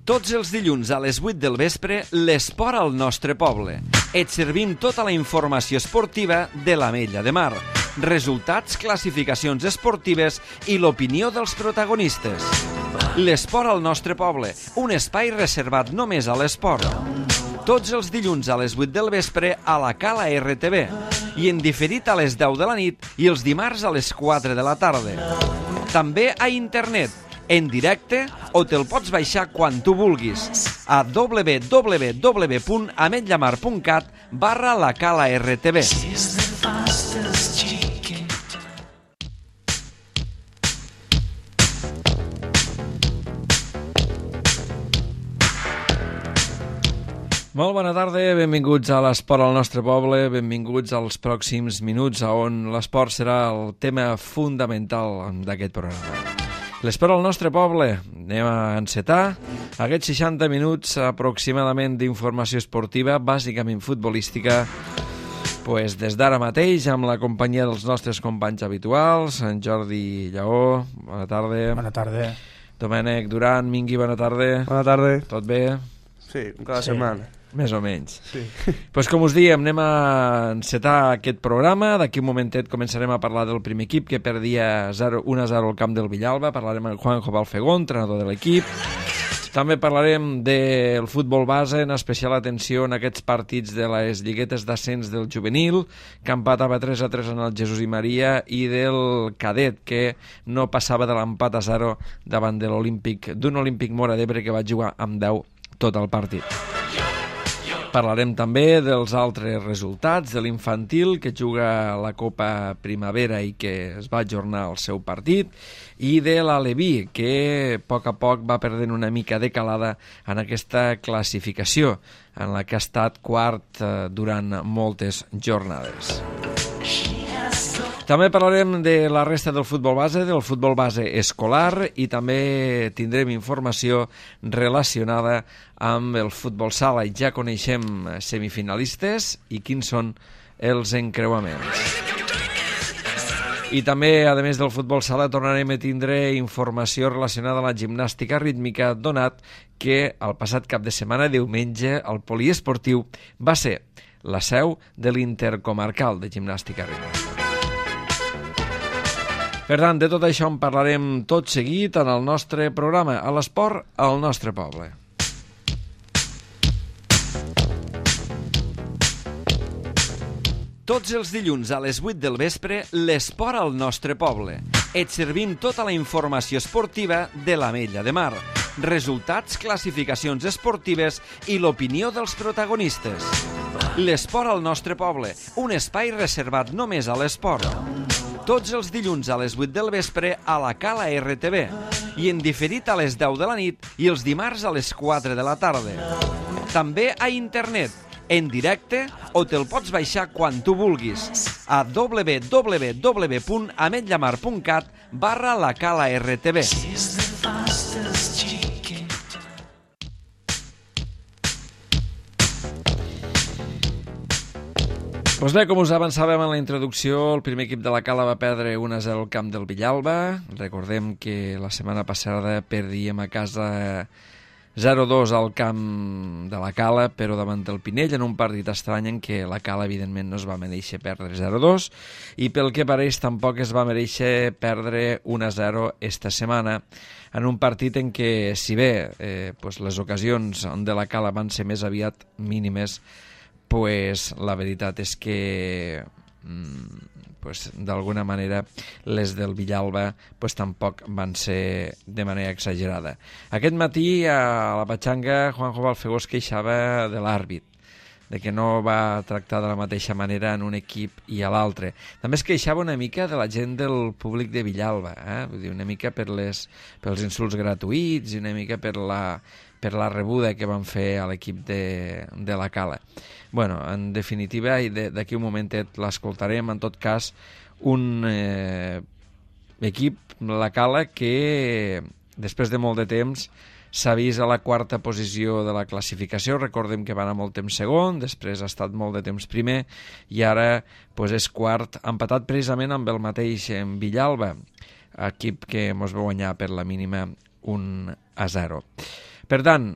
Tots els dilluns a les 8 del vespre, l'esport al nostre poble. Et servim tota la informació esportiva de l'Ametlla de Mar. Resultats, classificacions esportives i l'opinió dels protagonistes. L'esport al nostre poble, un espai reservat només a l'esport. Tots els dilluns a les 8 del vespre a la Cala RTV i en diferit a les 10 de la nit i els dimarts a les 4 de la tarda. També a internet, en directe o te'l pots baixar quan tu vulguis a www.ametllamar.cat/la Cala RTV. Molt bona tarda, benvinguts a l'esport al nostre poble, benvinguts als pròxims minuts on l'esport serà el tema fundamental d'aquest programa. L'esport al nostre poble, anem a encetar aquests 60 minuts aproximadament d'informació esportiva, bàsicament futbolística, des d'ara mateix amb la companyia dels nostres companys habituals, en Jordi Lleó, bona tarda. Bona tarda. Domènec Duran, Mingui, bona tarda. Bona tarda. Tot bé? Sí, cada setmana. Més o menys. Sí. Com us diem, anem a encetar aquest programa. D'aquí un momentet començarem a parlar del primer equip que perdia 1-0 al camp del Villalba. Parlarem amb Juanjo Balfegó, entrenador de l'equip. També parlarem del futbol base, en especial atenció en aquests partits de les lliguetes d'ascens del juvenil, que empatava 3-3 en el Jesús i Maria, i del cadet, que no passava de l'empat a 0 davant de l'Olímpic, d'un Olímpic Móra d'Ebre que va jugar amb 10 tot el partit. Parlarem també dels altres resultats de l'infantil que juga la Copa Primavera i que es va ajornar el seu partit, i de l'Aleví, que a poc va perdent una mica de calada en aquesta classificació, en la que ha estat quart durant moltes jornades. També parlarem de la resta del futbol base, del futbol base escolar, i també tindrem informació relacionada amb el futbol sala. I ja coneixem semifinalistes i quins són els encreuaments. I també, a més del futbol sala, tornarem a tindre informació relacionada amb la gimnàstica rítmica, donat que el passat cap de setmana, diumenge, el poliesportiu va ser la seu de l'Intercomarcal de Gimnàstica Rítmica. Per tant, de tot això en parlarem tot seguit en el nostre programa, a l'esport al nostre poble. Tots els dilluns a les 8 del vespre, l'esport al nostre poble. Et servim tota la informació esportiva de l'Ametlla de Mar. Resultats, classificacions esportives i l'opinió dels protagonistes. L'esport al nostre poble, un espai reservat només a l'esport. Tots els dilluns a les 8 del vespre a la Cala RTV i en diferit a les 10 de la nit i els dimarts a les 4 de la tarda. També a internet, en directe o te'l pots baixar quan tu vulguis a www.ametllamar.cat/la Cala RTV. Doncs bé, com us avançàvem en la introducció, el primer equip de la Cala va perdre 1-0 al camp del Villalba. Recordem que la setmana passada perdíem a casa 0-2 al camp de la Cala, però davant del Pinell, en un partit estrany en què la Cala, evidentment, no es va mereixer perdre 0-2, i pel que pareix tampoc es va mereixer perdre 1-0 esta setmana, en un partit en què, si bé les ocasions de la Cala van ser més aviat mínimes, la veritat és que d'alguna manera les del Villalba tampoc van ser de manera exagerada. Aquest matí a la Patxanga Juanjo Balfegó es queixava de l'àrbit, de que no va tractar de la mateixa manera en un equip i a l'altre. També es queixava una mica de la gent del públic de Villalba, vull dir, una mica pels insults gratuïts i una mica per la rebuda que van fer a l'equip de la Cala. Bueno, en definitiva, i d'aquí un momentet l'escoltarem, en tot cas, un equip, la Cala, que després de molt de temps s'ha vist a la quarta posició de la classificació. Recordem que va anar molt temps segon, després ha estat molt de temps primer i ara és quart, empatat precisament amb el mateix Villalba, equip que ens va guanyar per la mínima 1-0. Per tant,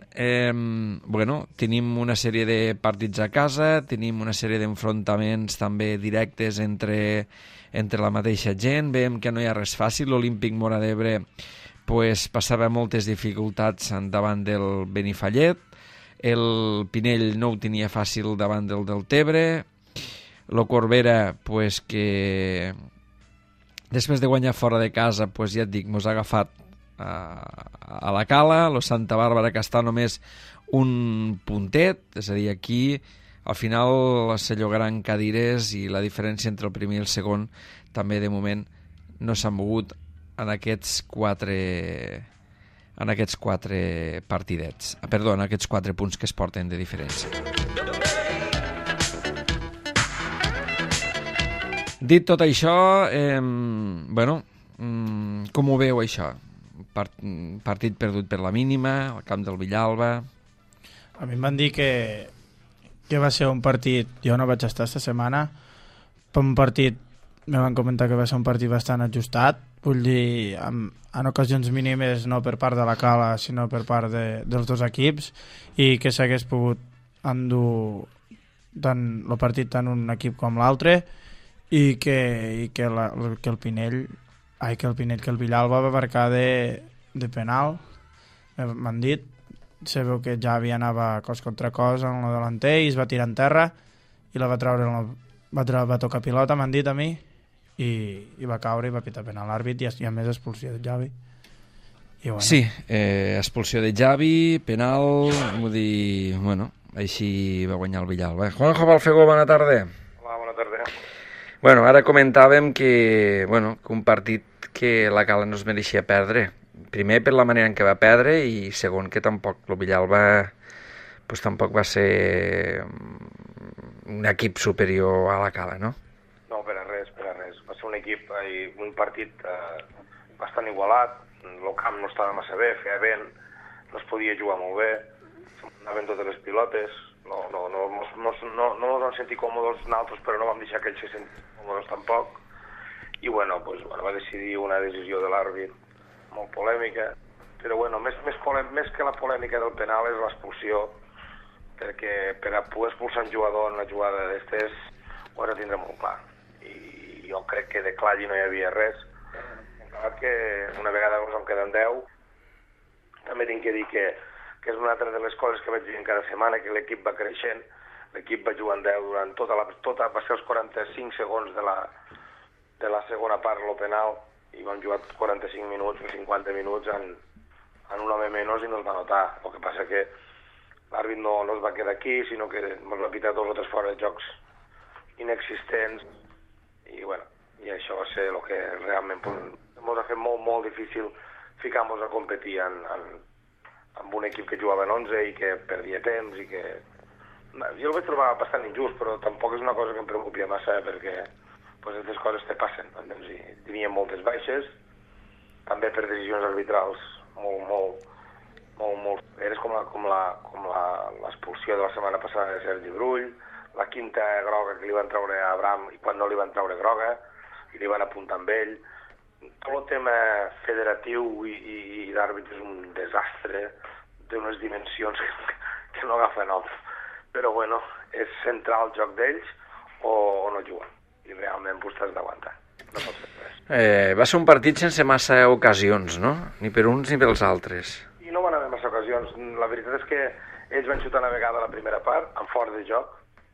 tenim una sèrie de partits a casa, tenim una sèrie d'enfrontaments també directes entre la mateixa gent, veiem que no hi ha res fàcil, l'Olímpic Móra d'Ebre passava moltes dificultats davant del Benifallet, el Pinell no ho tenia fàcil davant del Deltebre, el Corbera, que després de guanyar fora de casa, ja et dic, mos ha agafat a la cala, el Santa Bàrbara, que està només un puntet, és a dir, aquí al final se llogaran cadires i la diferència entre el primer i el segon també de moment no s'ha mogut en aquests quatre partidets, perdó, en aquests 4 punts que es porten de diferència. Dit tot això, com ho veu això? Partit perdut per la mínima, al camp del Villalba. A mi em van dir que va ser un partit, jo no vaig estar esta setmana, però un partit, me van comentar que va ser un partit bastant ajustat, vull dir, en ocasions mínimes no per part de la Cala, sinó per part dels dos equips, i que s'hagués pogut endur tant el partit tant un equip com l'altre, i que el Villalba va marcar de penal, m'han dit, se veu que Javi anava cos contra cos en el delanter i es va tirar en terra i la va treure, va tocar pilota, m'han dit a mi, i va caure i va pitar penal l'àrbit i a més expulsió de Javi. Sí, expulsió de Javi, penal, vull dir, així va guanyar el Villalba. Juanjo Balfegó, bona tarda. Hola, bona tarda. Ara comentàvem que un partit que la Cala no es mereixia perdre. Primer per la manera en què va perdre i segon que tampoc el Villalba tampoc va ser un equip superior a la Cala, no? No, per a res. Va ser un equip, un partit bastant igualat, el camp no estava massa bé, feia vent, no es podia jugar molt bé, anaven totes les pilotes, no ens vam sentir còmodes nosaltres, però no vam deixar que ells se sentin còmodes tampoc. I va decidir una decisió de l'àrbit molt polèmica, però més que la polèmica del penal és l'expulsió, perquè per a poder expulsar un jugador en una jugada d'estes ho has de tindre molt clar. I jo crec que de clar allí no hi havia res. Encara que una vegada ens en queden 10, també tinc que dir que és una altra de les coses que vaig dir cada setmana, que l'equip va creixent, l'equip va jugar en 10 durant va ser els 45 segons de la segona part, el penal, i vam jugar 45 minuts o 50 minuts en un home menys i no es va notar. El que passa que l'àrbit no es va quedar aquí, sinó que ens va pitar 2 o 3 fora de jocs inexistents, i això va ser el que realment ens ha fet molt, molt difícil ficar-nos a competir amb un equip que jugava en 11 i que perdia temps i que... Jo el vaig trobar bastant injust, però tampoc és una cosa que em preocupi massa, perquè aquestes coses te passen. I teníem moltes baixes, també per decisions arbitrals molt eres com l'expulsió de la setmana passada de Sergi Brull, la quinta groga que li van treure a Abraham i quan no li van treure groga i li van apuntar amb ell. Tot el tema federatiu i d'àrbit és un desastre d'unes dimensions que no agafa nom. Però és centrar el joc d'ells o no jugar. I realment t'has d'aguantar. No pots fer res. Va ser un partit sense massa ocasions, no? Ni per uns ni pels altres. I no van haver massa ocasions. La veritat és que ells van xutar una vegada a la primera part, en fort de joc,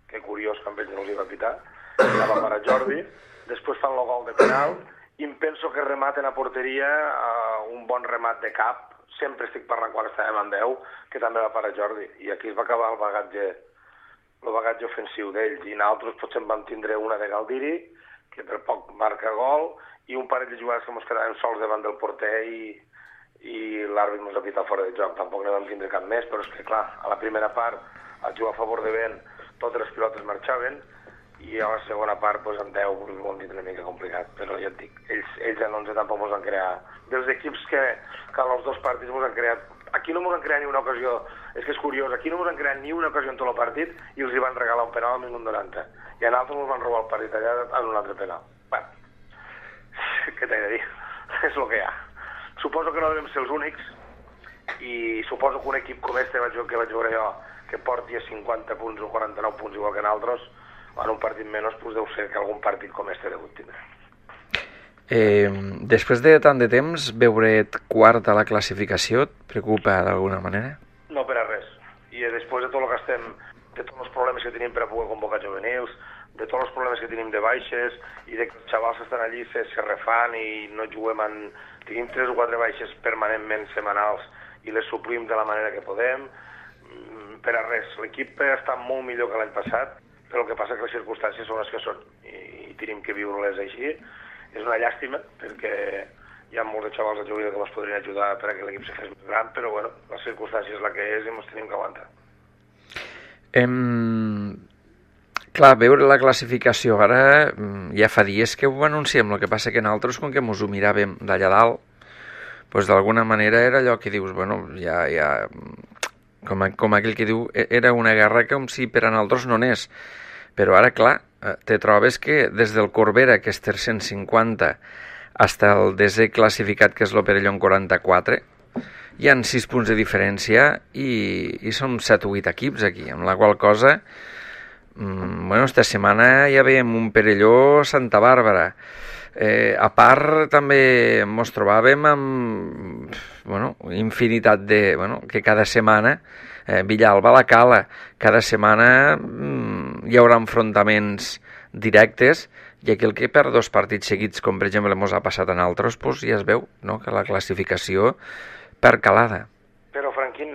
que curiós que amb ells no els hi va pitar, i la va parar Jordi, després fan el gol de penal, i em penso que rematen a porteria un bon remat de cap, sempre estic parlant quan estàvem en 10, que també va parar Jordi, i aquí es va acabar el bagatge ofensiu d'ells, i nosaltres potser en vam tindre una de Galdiri, que per poc marca gol, i un parell de jugades que ens quedàvem sols davant del porter i l'àrbit ens ha pitat fora de joc. Tampoc no vam tindre cap més, però és que clar, a la primera part, al jugar a favor de vent, totes les pilotes marxaven, i a la segona part, en 10, ho hem dit una mica complicat, però ja et dic, ells en 11 tampoc ens han creat. Dels equips que en els dos partits ens han creat, aquí no ens han creat ni una ocasió, és que és curiós, aquí no ens han creat ni una ocasió en tot el partit i els hi van regalar un penal al minut 90, i a nosaltres ens van robar el partit allà en un altre penal. Què t'he de dir? És el que hi ha. Suposo que no devem ser els únics, i suposo que un equip com este que vaig veure jo, que porti a 50 punts o 49 punts igual que nosaltres, en un partit menys, doncs deu ser que algun partit com este degut tindre. Després de tant de temps, veure't quart a la classificació et preocupa d'alguna manera? No per a res. I després de tot el que estem, de tots els problemes que tenim per a poder convocar juvenils, de tots els problemes que tenim de baixes, i de que els xavals estan allí, se refan i no juguem tenim 3 o 4 baixes permanentment setmanals i les suplim de la manera que podem. Per a res. L'equip està molt millor que l'any passat, però el que passa que les circumstàncies són les que són i tenim que viure-les així. És una llàstima, perquè hi ha molts de xavals de juvenil que ens podrien ajudar per a que l'equip se fes més gran, però bueno, la circumstància és la que és i ens tenim que aguantar. Clar, veure la classificació ara ja fa dies que ho anunciem, el que passa que nosaltres, com que mos ho miràvem d'allà dalt, doncs d'alguna manera era allò que dius, bueno, ja com aquell que diu, era una guerra com si per a nosaltres no n'és, però ara, clar, te trobes que des del Corbera, que és 350, fins al desè classificat, que és l'Operelló, en 44, hi han 6 punts de diferència i som 7 o 8 equips aquí, amb la qual cosa, bueno, esta setmana ja veiem un Perelló Santa Bàrbara. A part, també ens trobàvem amb infinitat de... que cada setmana, Villalba la Cala, cada setmana hi haurà enfrontaments directes, i aquell que per 2 partits seguits, com per exemple ens ha passat a nosaltres, doncs ja es veu, no?, que la classificació per calada. Però, Franquín,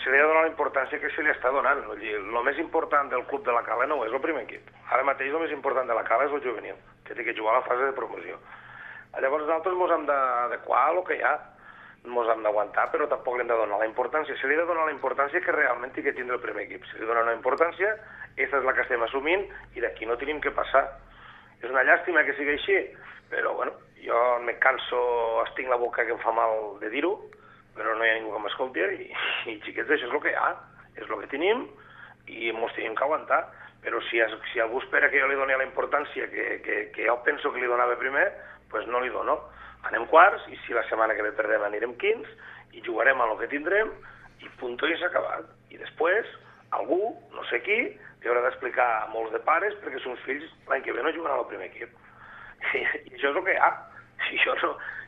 se li ha donat la importància que se li està donant. El més important del club de la Cala no és el primer equip. Ara mateix el més important de la Cala és el juvenil, que té que jugar a la fase de promoció. Llavors nosaltres ens hem d'adequar a el que hi ha, ens hem d'aguantar, però tampoc li hem de donar la importància. Se li ha de donar la importància que realment té que tindre el primer equip. Se li dona una importància, aquesta és la que estem assumint, i d'aquí no tenim que passar. És una llàstima que sigui així, però bueno, jo me canso, estic la boca que em fa mal de dir-ho, però no hi ha ningú que m'escolti, i xiquets, això és el que hi ha, és el que tenim, i ens tenim que aguantar. Però si algú espera que jo li doni la importància que jo penso que li donava primer, doncs no li dono. Anem quarts, i si la setmana que ve perdem anirem quints, i jugarem amb el que tindrem, i punto, i s'ha acabat. I després, algú, no sé qui, li haurà d'explicar a molts de pares perquè els seus fills l'any que ve no jugaran al primer equip. I això és el que hi ha.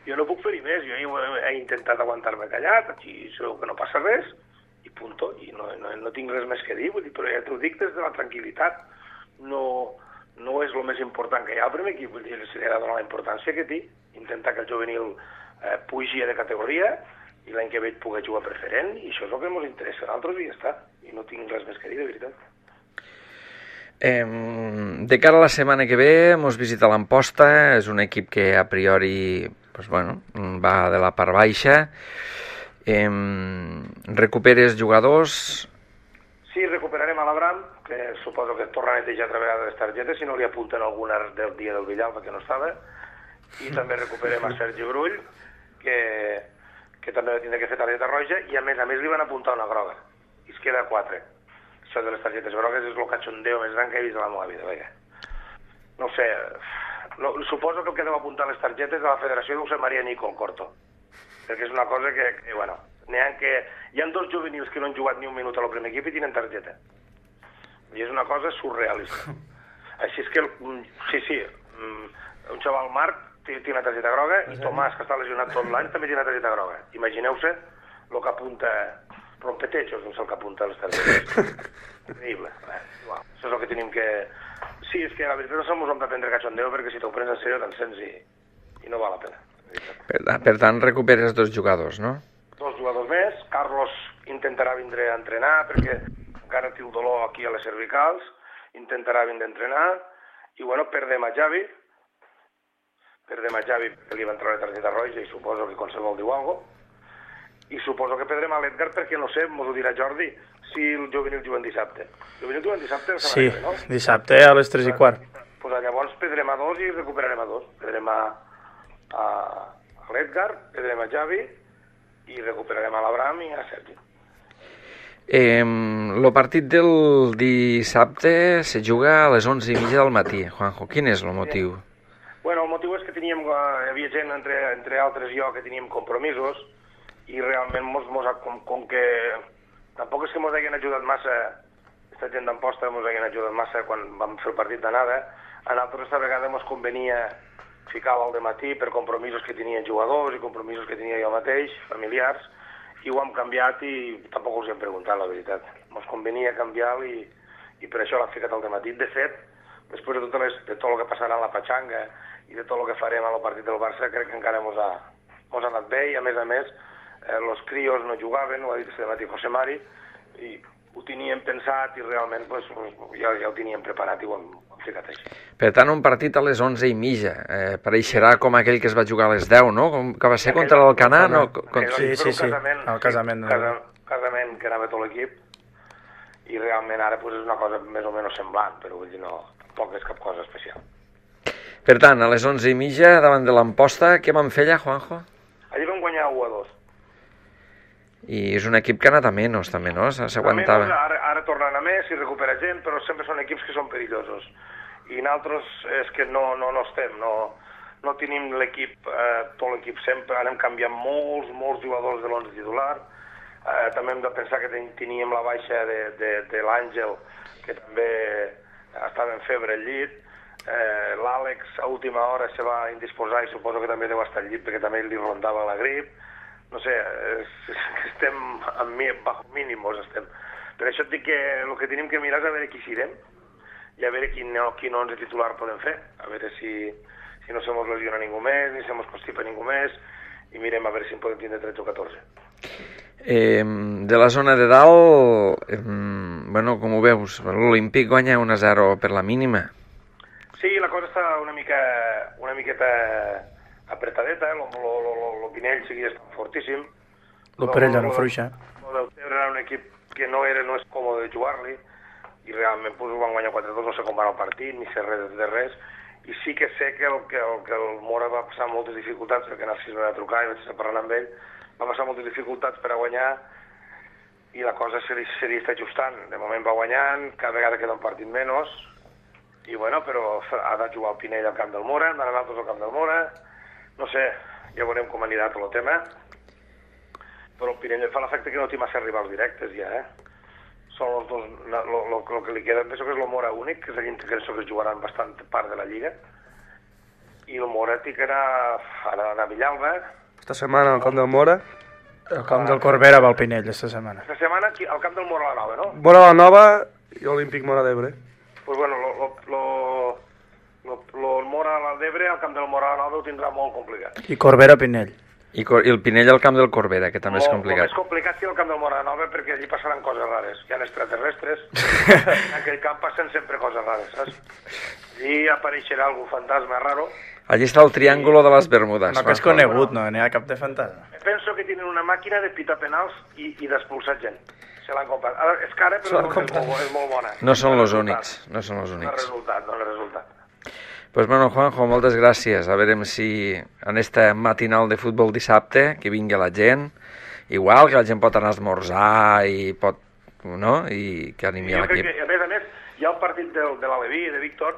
Jo no puc fer-hi més, jo he intentat aguantar-me callat, aquí segur que no passa res, i punto, i no tinc res més que dir, vull dir, però ja t'ho dic des de la tranquil·litat. No és el més important que hi ha al primer equip, vull dir, se li ha de donar la importància que té, intentar que el juvenil pugi de categoria i l'any que ve pugui jugar preferent, i això és el que ens interessa a nosaltres i ja està, i no tinc res més que dir, de veritat. De cara a la setmana que ve mos visita l'Amposta, és un equip que a priori va de la part baixa. Recuperes jugadors? Sí, recuperarem a l'Abram, que suposo que torna a netejar altra vegada les targetes, si no li apunten alguna del dia del Villalba que no estava, i també recuperem a Sergi Brull, que també va tindre que fer targeta roja, i a més li van apuntar una groga, i es queda 4. Això de les targetes grogues és el cachondeo més gran que he vist a la meva vida, vaja. No sé, suposo que el que deu apuntar les targetes de la federació deu ser Maria Nicol Corto, perquè és una cosa que hi ha 2 juvenils que no han jugat ni un minut a el primer equip i tenen targeta. I és una cosa surrealista. Així és que, un xaval Marc té una targeta groga i Tomàs, que està lesionat tot l'any, també té una targeta groga. Imagineu-se el que apunta rompetechos, no sé el que apunta les targetes. Increïble. Això és el que tenim que... Sí, és que la veritat no som hem d'aprendre cachondeo, perquè si t'ho prens en sèrio t'encens i no val la pena. Per tant, recuperes 2 jugadors, no? 2 jugadors més. Carlos intentarà vindre a entrenar, perquè encara té el dolor aquí a les cervicals. Intentarà vindre a entrenar. I, perdem a Javi. Perquè li va entrar la targeta roja i suposo que qualsevol diu alguna cosa. I suposo que perdrem a l'Edgar perquè, no sé, mos ho dirà Jordi, si el juvenil juguen dissabte. El juvenil juguen dissabte? Sí, no? Dissabte a les 3:15. Pues llavors perdrem a 2 i recuperarem a 2. Perdrem a l'Edgar, perdrem a Javi i recuperarem a l'Abram i a Sergi. El partit del dissabte se juga a les 11:30 del matí. Juanjo, quin és el motiu? Bueno, el motiu és que hi havia gent, entre altres jo, que teníem compromisos, i realment com que tampoc és que ens hagin ajudat massa, aquesta gent d'Amposta ens hagin ajudat massa quan vam fer el partit d'anada, a nosaltres esta vegada ens convenia ficar-lo al dematí per compromisos que tenien jugadors i compromisos que tenia jo mateix, familiars, i ho hem canviat i tampoc us hem preguntat, la veritat. Ens convenia canviar-lo i per això l'hem ficat al dematí. De fet, després de tot el que passarà a la Patxanga i de tot el que farem al partit del Barça, crec que encara ens ha anat bé i, a més, els crios no jugaven, ho ha dit este matí José Mari, i ho teníem pensat i realment ja ho teníem preparat i ho hem ficat així. Per tant, un partit a les 11:30. Pareixerà com aquell que es va jugar a les 10, no? Que va ser contra l'Alcanar, no? Sí, el casament. Casament que anava tot l'equip i realment ara és una cosa més o menys semblant, però vull dir, no, tampoc és cap cosa especial. Per tant, a les 11:30, davant de l'Amposta, què van fer allà, Juanjo? Allí vam guanyar 1-2. I és un equip que ha anat a menys, també, no? S'aguantava. Ara tornen a més i recupera gent, però sempre són equips que són perillosos. I nosaltres és que no estem, no tenim l'equip, tot l'equip sempre, anem canviant molts jugadors de l'11 titular. També hem de pensar que teníem la baixa de l'Àngel, que també estava en febre al llit. L'Àlex a última hora se va indisposar i suposo que també deu estar al llit perquè també li rondava la grip. No sé, estem bajo mínimos, estem. Per això et dic que el que tenim que mirar és a veure qui serem i a veure quin 11 titular podem fer. A veure si no se mos lesiona ningú més, ni se mos constipa ningú més, i mirem a veure si en podem tindre 13 o 14. De la zona de dalt, bueno, com ho veus, l'Olímpic guanya 1-0 per la mínima. Sí, la cosa està una miqueta apretadeta, el Pinell seguia estant fortíssim. El Perella no fluixa. El del Tebre era un equip que no és còmode jugar-li, i realment ho van guanyar 4-2, no sé com va el partit, ni sé res de res, i sí que sé que el Mora va passar moltes dificultats, perquè Narcís va trucar i vaig estar parlant amb ell, va passar moltes dificultats per a guanyar, i la cosa se li està ajustant. De moment va guanyant, cada vegada queda un partit menys, i bueno, però ha de jugar el Pinell al camp del Mora, hem d'anar nosaltres al camp del Mora, no sé, ja veurem com anirà tot el tema, però el Pinell fa l'efecte que no té massa rivals directes ja, Són els dos, el que li queda, penso que és el Mora únic, que és l'any que penso que jugaran bastant part de la Lliga, i el Mora té que anar a Villalba. Esta setmana al camp del Mora. El camp del Corbera va al Pinell, esta setmana. Esta setmana al camp del Mora la Nova, no? Mora la Nova i Olímpic Mora d'Ebre. Pues bueno, el Mora a l'Ebre, al camp del Mora a la Nova ho tindrà molt complicat. I Corbera Pinell. I el Pinell al camp del Corbera, que també és complicat. Molt més complicat que el camp del Mora Nova, perquè allí passaran coses rares. Hi ha extraterrestres, en aquell camp passen sempre coses rares, saps? Allí apareixerà algú fantasma raro. Allí està el triàngulo de les Bermudes. No, que és conegut, no? N'hi ha cap de fantasma. Penso que tenen una màquina de pitar penals i d'expulsar gent. Se l'han comprat. És cara, però és molt bona. No són els únics. No són els No únics. és resultat. Pues bueno, Juanjo, moltes gràcies. A veure si en esta matinal de futbol dissabte, que vingui la gent, igual que la gent pot anar a esmorzar i pot, no? I que animi a l'equip. A més, hi ha el partit de l'Aleví, de Víctor,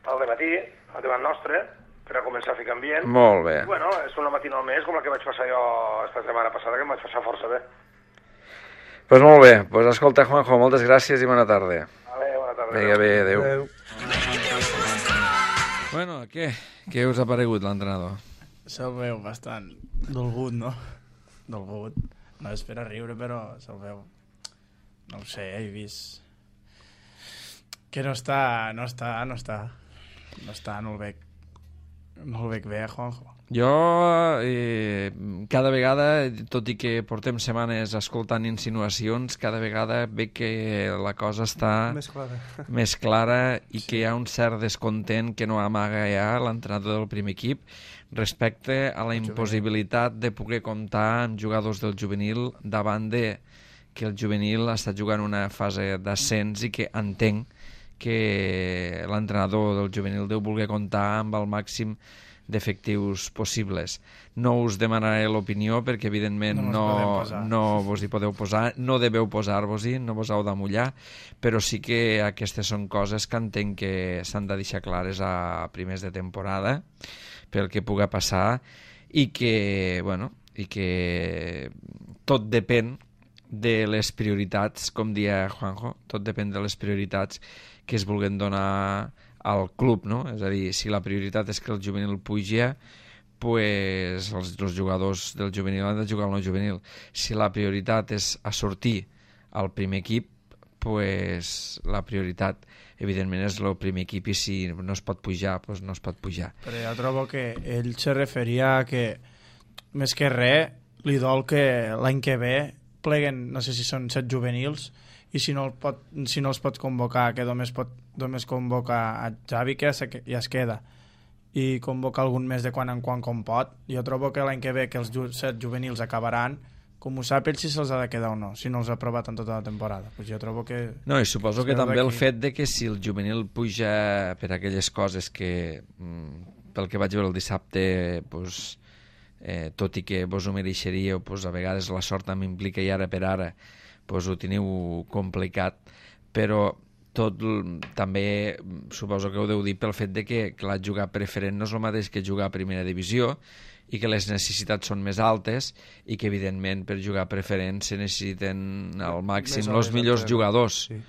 al dematí, al davant nostre, per a començar a ficar ambient. Molt bé. I, bueno, és una matinal més, com la que vaig passar jo esta setmana passada, que em vaig passar força bé. Pues molt bé. Pues escolta, Juanjo, moltes gràcies i bona tarda. Vale, bona tarda. Vinga, bé, adéu. Adéu. Bueno, què us ha paregut l'entrenador? Se'l veu bastant dolgut, no? Dolgut. No és per a riure, però se'l veu... No ho sé, he vist... Que no està, no el veig bé, Juanjo. Jo, cada vegada, tot i que portem setmanes escoltant insinuacions, cada vegada veig que la cosa està més clara i que hi ha un cert descontent que no amaga ja l'entrenador del primer equip respecte a la impossibilitat de poder comptar amb jugadors del juvenil davant de que el juvenil està jugant una fase d'ascens i que entenc que l'entrenador del juvenil deu voler comptar amb el màxim d'efectius possibles. No us demanaré l'opinió perquè evidentment no vos hi podeu posar, no deveu posar-vos-hi, no vos heu de mullar, però sí que aquestes són coses que entenc que s'han de deixar clares a primers de temporada pel que puga passar i que, bueno, i que tot depèn de les prioritats, com dia Juanjo, tot depèn de les prioritats que es vulguen donar al club, no? És a dir, si la prioritat és que el juvenil puja, pues els jugadors del juvenil han de jugar al no juvenil. Si la prioritat és a sortir al primer equip, pues la prioritat evidentment és el primer equip, i si no es pot pujar, pues no es pot pujar. Però jo trobo que ell se referia a que més que res li dol que l'any que ve pleguen, no sé si són 7 juvenils, i si no els pot convocar, que només convoca a Xavi, que ja es queda, i convoca algun més de quan en quan com pot. Jo trobo que l'any que ve que els 7 juvenils acabaran, com ho sap ell si se'ls ha de quedar o no, si no els ha provat en tota la temporada. Pues jo trobo que... No, i suposo que també el fet de que si el juvenil puja per aquelles coses que, pel que vaig veure el dissabte, pues, tot i que vos ho mereixeríeu, pues, a vegades la sort també implica, i ara per ara pues, ho teniu complicat, però també suposo que ho deu dir pel fet de que clar, jugar preferent no és el mateix que jugar a primera divisió, i que les necessitats són més altes, i que evidentment per jugar preferent se necessiten al màxim els millors jugadors. Sí.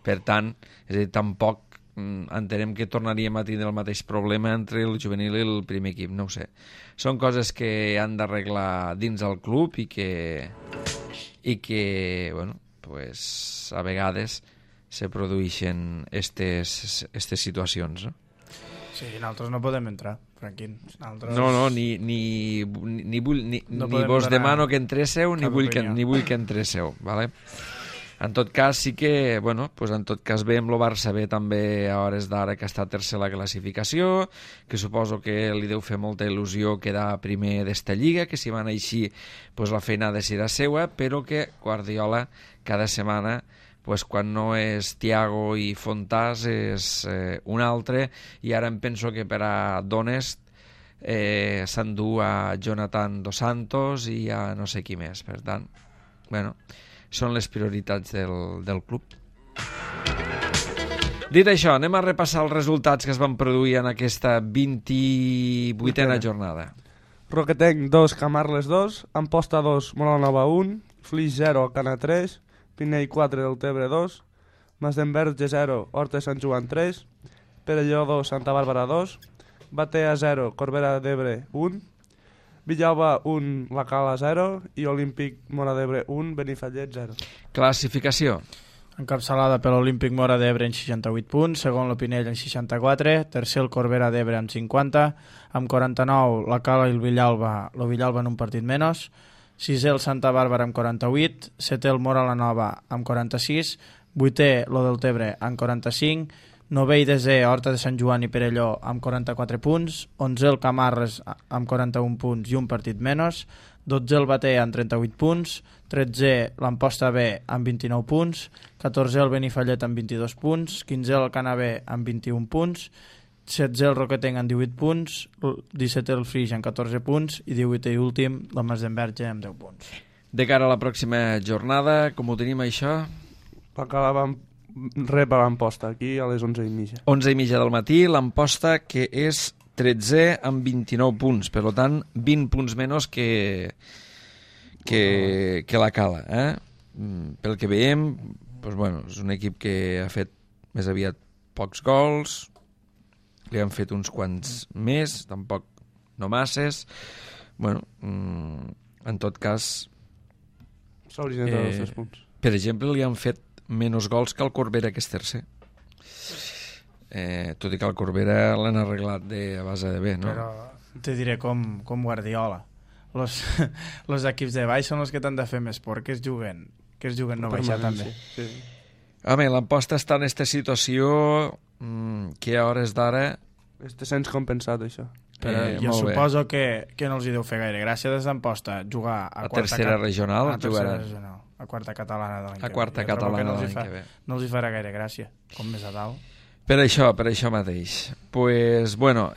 Per tant, és a dir, tampoc entenem que tornaríem a tindre el mateix problema entre el juvenil i el primer equip, no ho sé. Són coses que han d'arreglar dins el club i que bueno, pues, a vegades se produeixen aquestes situacions, no? Sí, nosaltres no podem entrar, Franquín. No, ni vos demano que entréssiu, ni vull que entréssiu, ¿vale? En tot cas, sí que, bueno, pues en tot cas veiem el Barça B també a hores d'ara, que està tercer a la classificació, que suposo que li deu fer molta il·lusió quedar primer d'esta lliga, que si van així, pues la feina ha de ser seua, però que Guardiola cada setmana, pues quan no és Thiago i Fontàs és un altre, i ara em penso que per a Donest s'endú a Jonathan Dos Santos i a no sé qui més. Per tant, bueno, són les prioritats del club. Dit això, anem a repassar els resultats que es van produir en aquesta 28a jornada. Roquetenc 2, Camarles 2, Amposta 2, Molanova 1, Flix 0, Cana 3, Pinell 4, Deltebre 2, Masdenverge 0, Horta Sant Joan 3, Perelló 2, Santa Bàrbara 2, Batea 0, Corbera d'Ebre 1, Villalba 1, La Cala 0 i Olímpic Móra d'Ebre 1, Benifallet 0. Classificació. Encapçalada per l'Olímpic Móra d'Ebre amb 68 punts, segon el Pinell amb 64, tercer el Corbera d'Ebre amb 50, amb 49 la Cala i el Villalba en un partit menys, sisè el Santa Bàrbara amb 48, setè el Móra la Nova amb 46, vuitè lo Deltebre amb 45, novè i desè Horta de Sant Joan i Perelló amb 44 punts, 11è el Camarles amb 41 punts i un partit menys, 12è el Batea amb 38 punts, 13è l'Amposta B amb 29 punts, 14è el Benifallet amb 22 punts, 15è el Cana B amb 21 punts, 16è el Roquetenc amb 18 punts, 17è el Flix amb 14 punts i 18è i últim la Masdenverge amb 10 punts. De cara a la pròxima jornada, com ho tenim això? La Cala va rep a l'Amposta, aquí a les 11:30. 11:30 del matí, l'Amposta, que és 13è amb 29 punts, per tant 20 punts menys que la Cala. Pel que veiem, doncs, bueno, és un equip que ha fet més aviat pocs gols, li han fet uns quants més, tampoc no masses. Bueno, en tot cas... S'haurien de els 3 punts. Per exemple, li han fet menys gols que el Corbera, que és tercer. Tot i que el Corbera l'han arreglat a base de bé, no? Però te diré com Guardiola. Los equips de baix són els que t'han de fer més por, que es juguen no baixar també. Sí. Home, l'Amposta està en aquesta situació que a hores d'ara... Este sens compensat, això. Però jo suposo que no els hi deu fer gaire gràcia des d'Amposta jugar a tercera regional, a quarta catalana de l'any que ve. A quarta catalana de l'any que ve. No els hi farà gaire gràcia, com més a dalt. Per això mateix. Pues, bueno,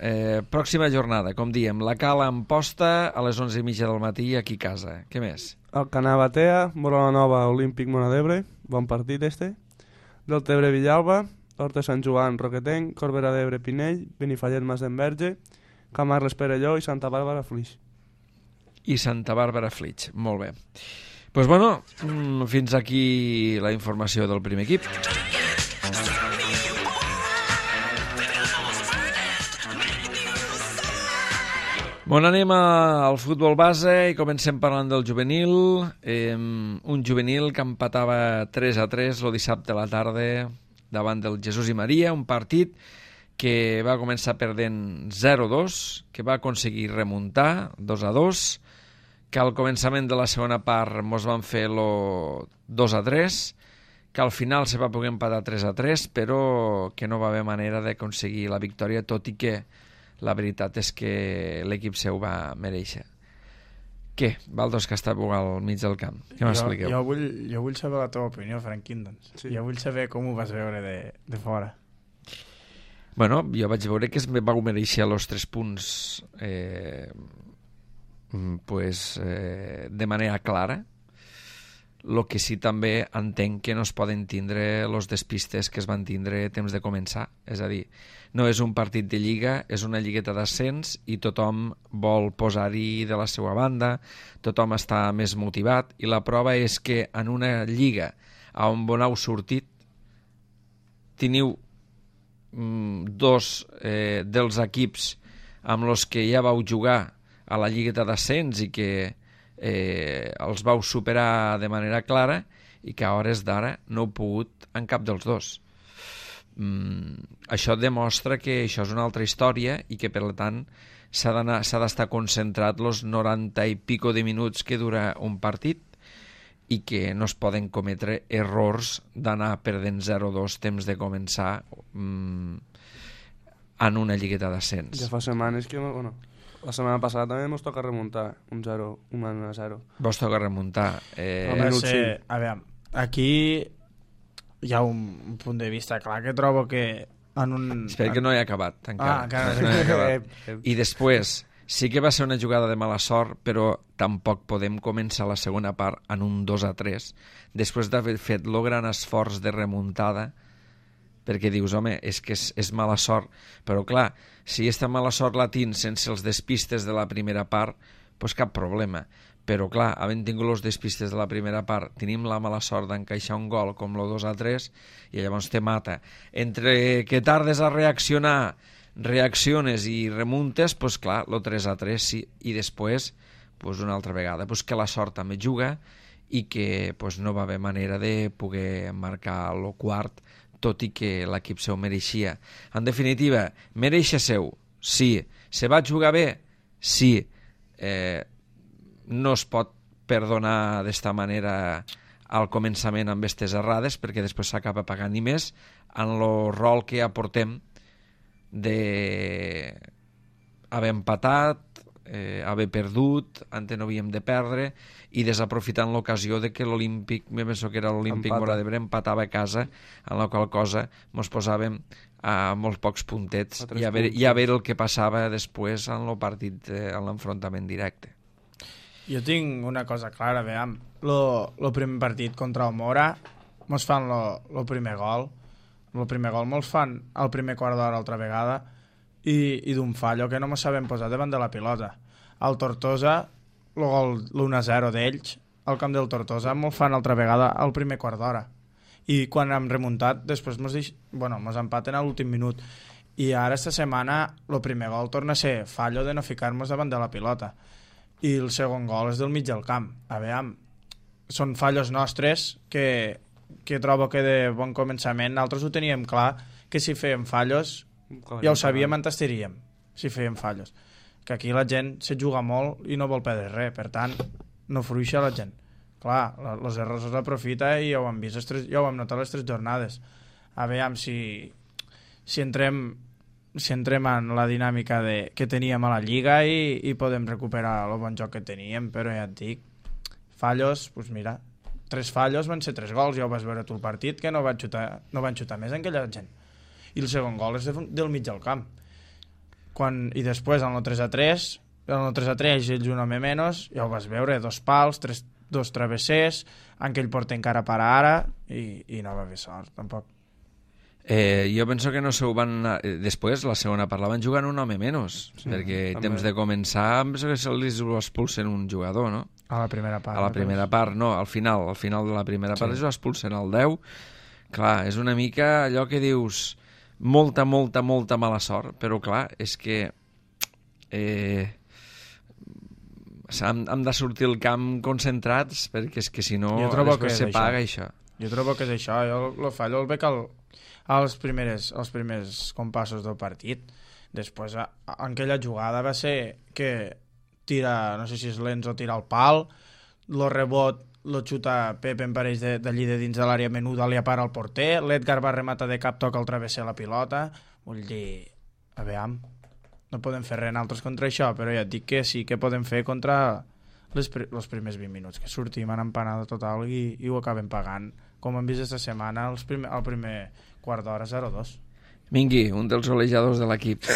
pròxima jornada, com diem, la Cala Amposta a les 11:30 del matí aquí a casa. Què més? El Canà Batea, Móra Nova, Olímpic Móra d'Ebre, bon partit este. Deltebre Villalba, Horta Sant Joan, Roquetenc, Corbera d'Ebre Pinell, Benifallet Masdenverge, Camarles Perelló i Santa Bàrbara Flix. i Santa Bàrbara Flix. Molt bé. Doncs bueno, fins aquí la informació del primer equip. Bon, anem al futbol base i comencem parlant del juvenil. Un juvenil que empatava 3-3 el dissabte a la tarda davant del Jesús i Maria, un partit que va començar perdent 0-2, que va aconseguir remuntar 2-2, que al començament de la segona part mos van fer el 2-3, que al final se va poder empatar 3-3, però que no va haver manera d'aconseguir la victòria, tot i que la veritat és que l'equip seu va mereixer. Què? Valdos, que està al mig del camp. Què m'expliqueu? Jo vull saber la teva opinió, Franquín, doncs. Sí. Jo vull saber com ho vas veure de fora. Bueno, jo vaig veure que es va mereixer els 3 punts de manera clara. El que sí també entenc que no es poden tindre els despistes que es van tindre temps de començar. És a dir, no és un partit de lliga, és una lligueta d'ascens i tothom vol posar-hi de la seva banda, tothom està més motivat i la prova és que en una lliga on heu sortit teniu dos dels equips amb els que ja vau jugar a la lligueta d'ascens i que els vau superar de manera clara i que a hores d'ara no heu pogut en cap dels dos. Això demostra que això és una altra història i que per tant s'ha d'estar concentrat els 90 i pico de minuts que dura un partit i que no es poden cometre errors d'anar perdent 0-2 temps de començar en una lligueta d'ascens. Ja fa setmanes que... Bueno, la setmana passada també ens toca remuntar un 1-0. Vos toca remuntar. A veure, aquí hi ha un punt de vista clar que trobo que en un... Espera que no he acabat encara. Encara no he acabat. I després, sí que va ser una jugada de mala sort, però tampoc podem començar la segona part en un 2-3, després d'haver fet el gran esforç de remuntada, perquè dius, home, és que és mala sort, però clar, si aquesta mala sort la tens sense els despistes de la primera part, doncs cap problema. Però clar, havent tingut els despistes de la primera part, tenim la mala sort d'encaixar un gol com el 2-3 i llavors te mata. Entre que tardes a reaccionar, reacciones i remuntes, doncs clar, el 3-3 sí, i després, doncs una altra vegada, doncs que la sort també juga i que doncs no va haver manera de poder marcar el quart, tot i que l'equip seu mereixia. En definitiva, mereixer seu, sí. Se va jugar bé? Sí. No es pot perdonar d'esta manera al començament amb aquestes errades, perquè després s'acaba pagant i més en el rol que aportem d'haver empatat, haver perdut, antes no havíem de perdre, i desaprofitant l'ocasió de que l'Olímpic, me penso que era l'Olímpic Mora d'Ebre, empatava a casa, en la qual cosa mos posàvem a molts pocs puntets i a veure el que passava després en el partit, en l'enfrontament directe. Jo tinc una cosa clara, veiem, el primer partit contra el Mora mos fan el primer gol, mos fan el primer quart d'hora altra vegada i d'un fallo que no mos sabem posar davant de la pilota. El Tortosa, el gol l'1-0 d'ells, al camp del Tortosa, mos fan altra vegada al primer quart d'hora. I quan hem remuntat, després mos empaten a l'últim minut. I ara, esta setmana, el primer gol torna a ser fallo de no ficar-nos davant de la pilota. I el segon gol és del mig del camp. A veure, són fallos nostres que trobo que de bon començament nosaltres ho teníem clar, que si fèiem fallos ja ho sabíem on estaríem, si fèiem fallos. Que aquí la gent se juga molt i no vol perdre res, per tant, no fruixa la gent. Clar, els errors els aprofita i ja ho hem vist, ja ho hem notat les 3 jornades. A veure si entrem en la dinàmica que teníem a la Lliga i podem recuperar el bon joc que teníem, però ja et dic, fallos, doncs mira, 3 fallos van ser 3 gols, ja ho vas veure tu el partit, que no van xutar més aquella gent. I el segon gol és del mig del camp. I després, en el 3-3, ells un home menys, ja ho vas veure, 2 pals, 2 travessers, en què ell porta encara per ara, i no va haver sort, tampoc. Jo penso que no se ho van... Després, la segona part, la van jugar un home menys, perquè també. temps de començar, penso que se'ls ho expulsen un jugador, no? A la primera part. A la primera part, no, al final de la primera part es expulsen al 10. Clar, és una mica allò que dius molta mala sort, però clar, és que hem de sortir al camp concentrats, perquè és que si no després se paga això. Jo trobo que és això, jo el fallo el veig als primers compassos del partit. Després, en aquella jugada va ser que tira, no sé si és Lenz o tira al pal, lo rebot lo xuta Pepe en pareix d'allí de dins de l'àrea menuda, li apara el porter, l'Edgar va rematar de cap, toca al travesser la pilota. Vull dir, a veure, no podem fer res altres contra això, però ja et dic que sí que podem fer contra els primers 20 minuts, que sortim en empanada total i ho acabem pagant, com hem vist aquesta setmana el primer quart d'hora 0-2. Mingui, un dels golejadors de l'equip.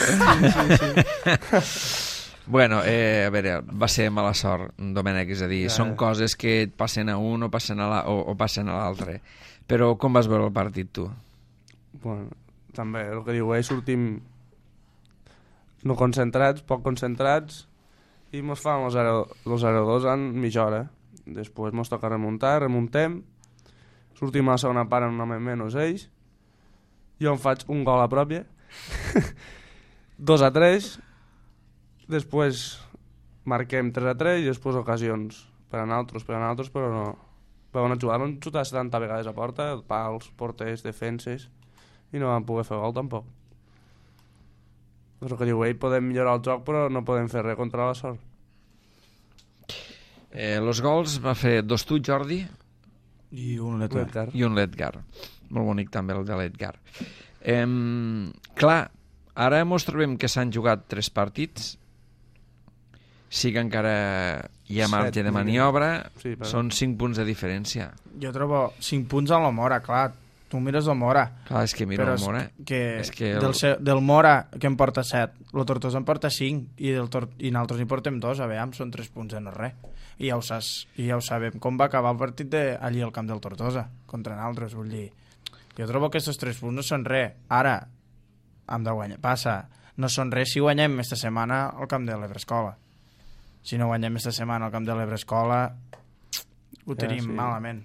Bueno, a veure, va ser mala sort, Domènec, és a dir, són coses que et passen a un o passen a l'altre. Però com vas veure el partit, tu? Bueno, també, el que diu, sortim no concentrats, poc concentrats, i mos fan el 0-2 en mitja hora. Després mos toca remuntem, sortim a la segona part en un home menys ells, jo em faig un gol a pròpia, 2-3, després marquem 3-3 i després ocasions per a nosaltres, però no. Però van xutar 70 vegades a porta, pals, porters, defenses, i no van poder fer gol tampoc. És el que diu ell, podem millorar el joc, però no podem fer res contra la sort. Els gols va fer 2 tu, Jordi, i un l'Edgar. I un l'Edgar. Molt bonic també el de l'Edgar. Clar, ara ens trobem que s'han jugat 3 partits, sí que encara hi ha marge de maniobra, sí, però... són 5 punts de diferència. Jo trobo 5 punts a la Mora, clar, tu mires el Mora. Clar, és que mira el Mora. És que del Mora, que em porta 7, el Tortosa em porta 5, i nosaltres hi portem 2, a veure, són 3 punts de no res. I ja ho sabem com va acabar el partit allí al camp del Tortosa, contra nosaltres, vull dir. Jo trobo que aquests 3 punts no són res. Ara, hem de guanyar. Passa, no són res si guanyem aquesta setmana al camp de l'Ebrescola. Si no guanyem aquesta setmana al camp de l'Ebrescola, ho tenim malament.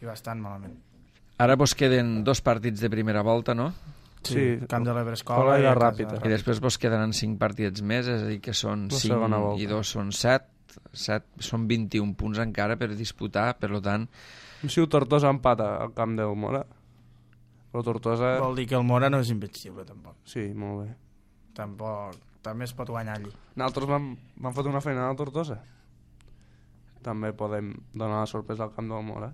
I bastant malament. Ara vos queden 2 partits de primera volta, no? Sí, camp de l'Ebrescola i la Ràpita. I després vos quedaran 5 partits més, és a dir, que són 5 i 2 són 7. Són 21 punts encara per disputar, per tant... Si el Tortosa empata al camp del Mora, el Tortosa... Vol dir que el Mora no és invencible, tampoc. Sí, molt bé. Tampoc, també es pot guanyar allí. Nosaltres vam fet una feina al Tortosa. També podem donar la sorpresa al camp del Mora.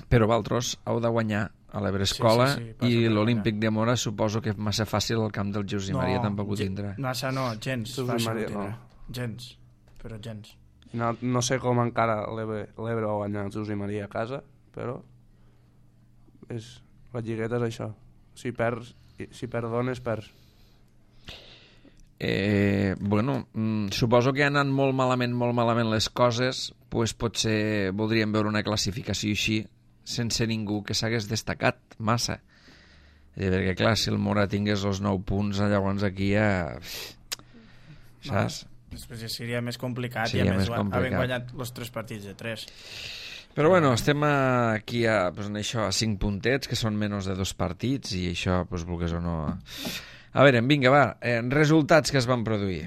Però vosaltres heu de guanyar a l'Ebrescola i l'Olímpic de Mora suposo que massa fàcil al camp del Josep Maria tampoc ho tindrà. Massa no, gens fàcil ho tindrà. Gens. Però gens. No sé com encara l'Ebre va guanyar el Josep Maria a casa, però la lligueta és això. Si perdones, perds. Bueno, suposo que han anat molt malament les coses, doncs potser voldríem veure una classificació així, sense ningú que s'hagués destacat massa. Perquè clar, si el Mora tingués els 9 punts, llavors aquí ja... saps? Després ja seria més complicat i a més havent guanyat els 3 partits de 3. Però bueno, estem aquí a 5 puntets, que són menys de 2 partits, i això, vulgués o no... A veure, vinga, va, resultats que es van produir.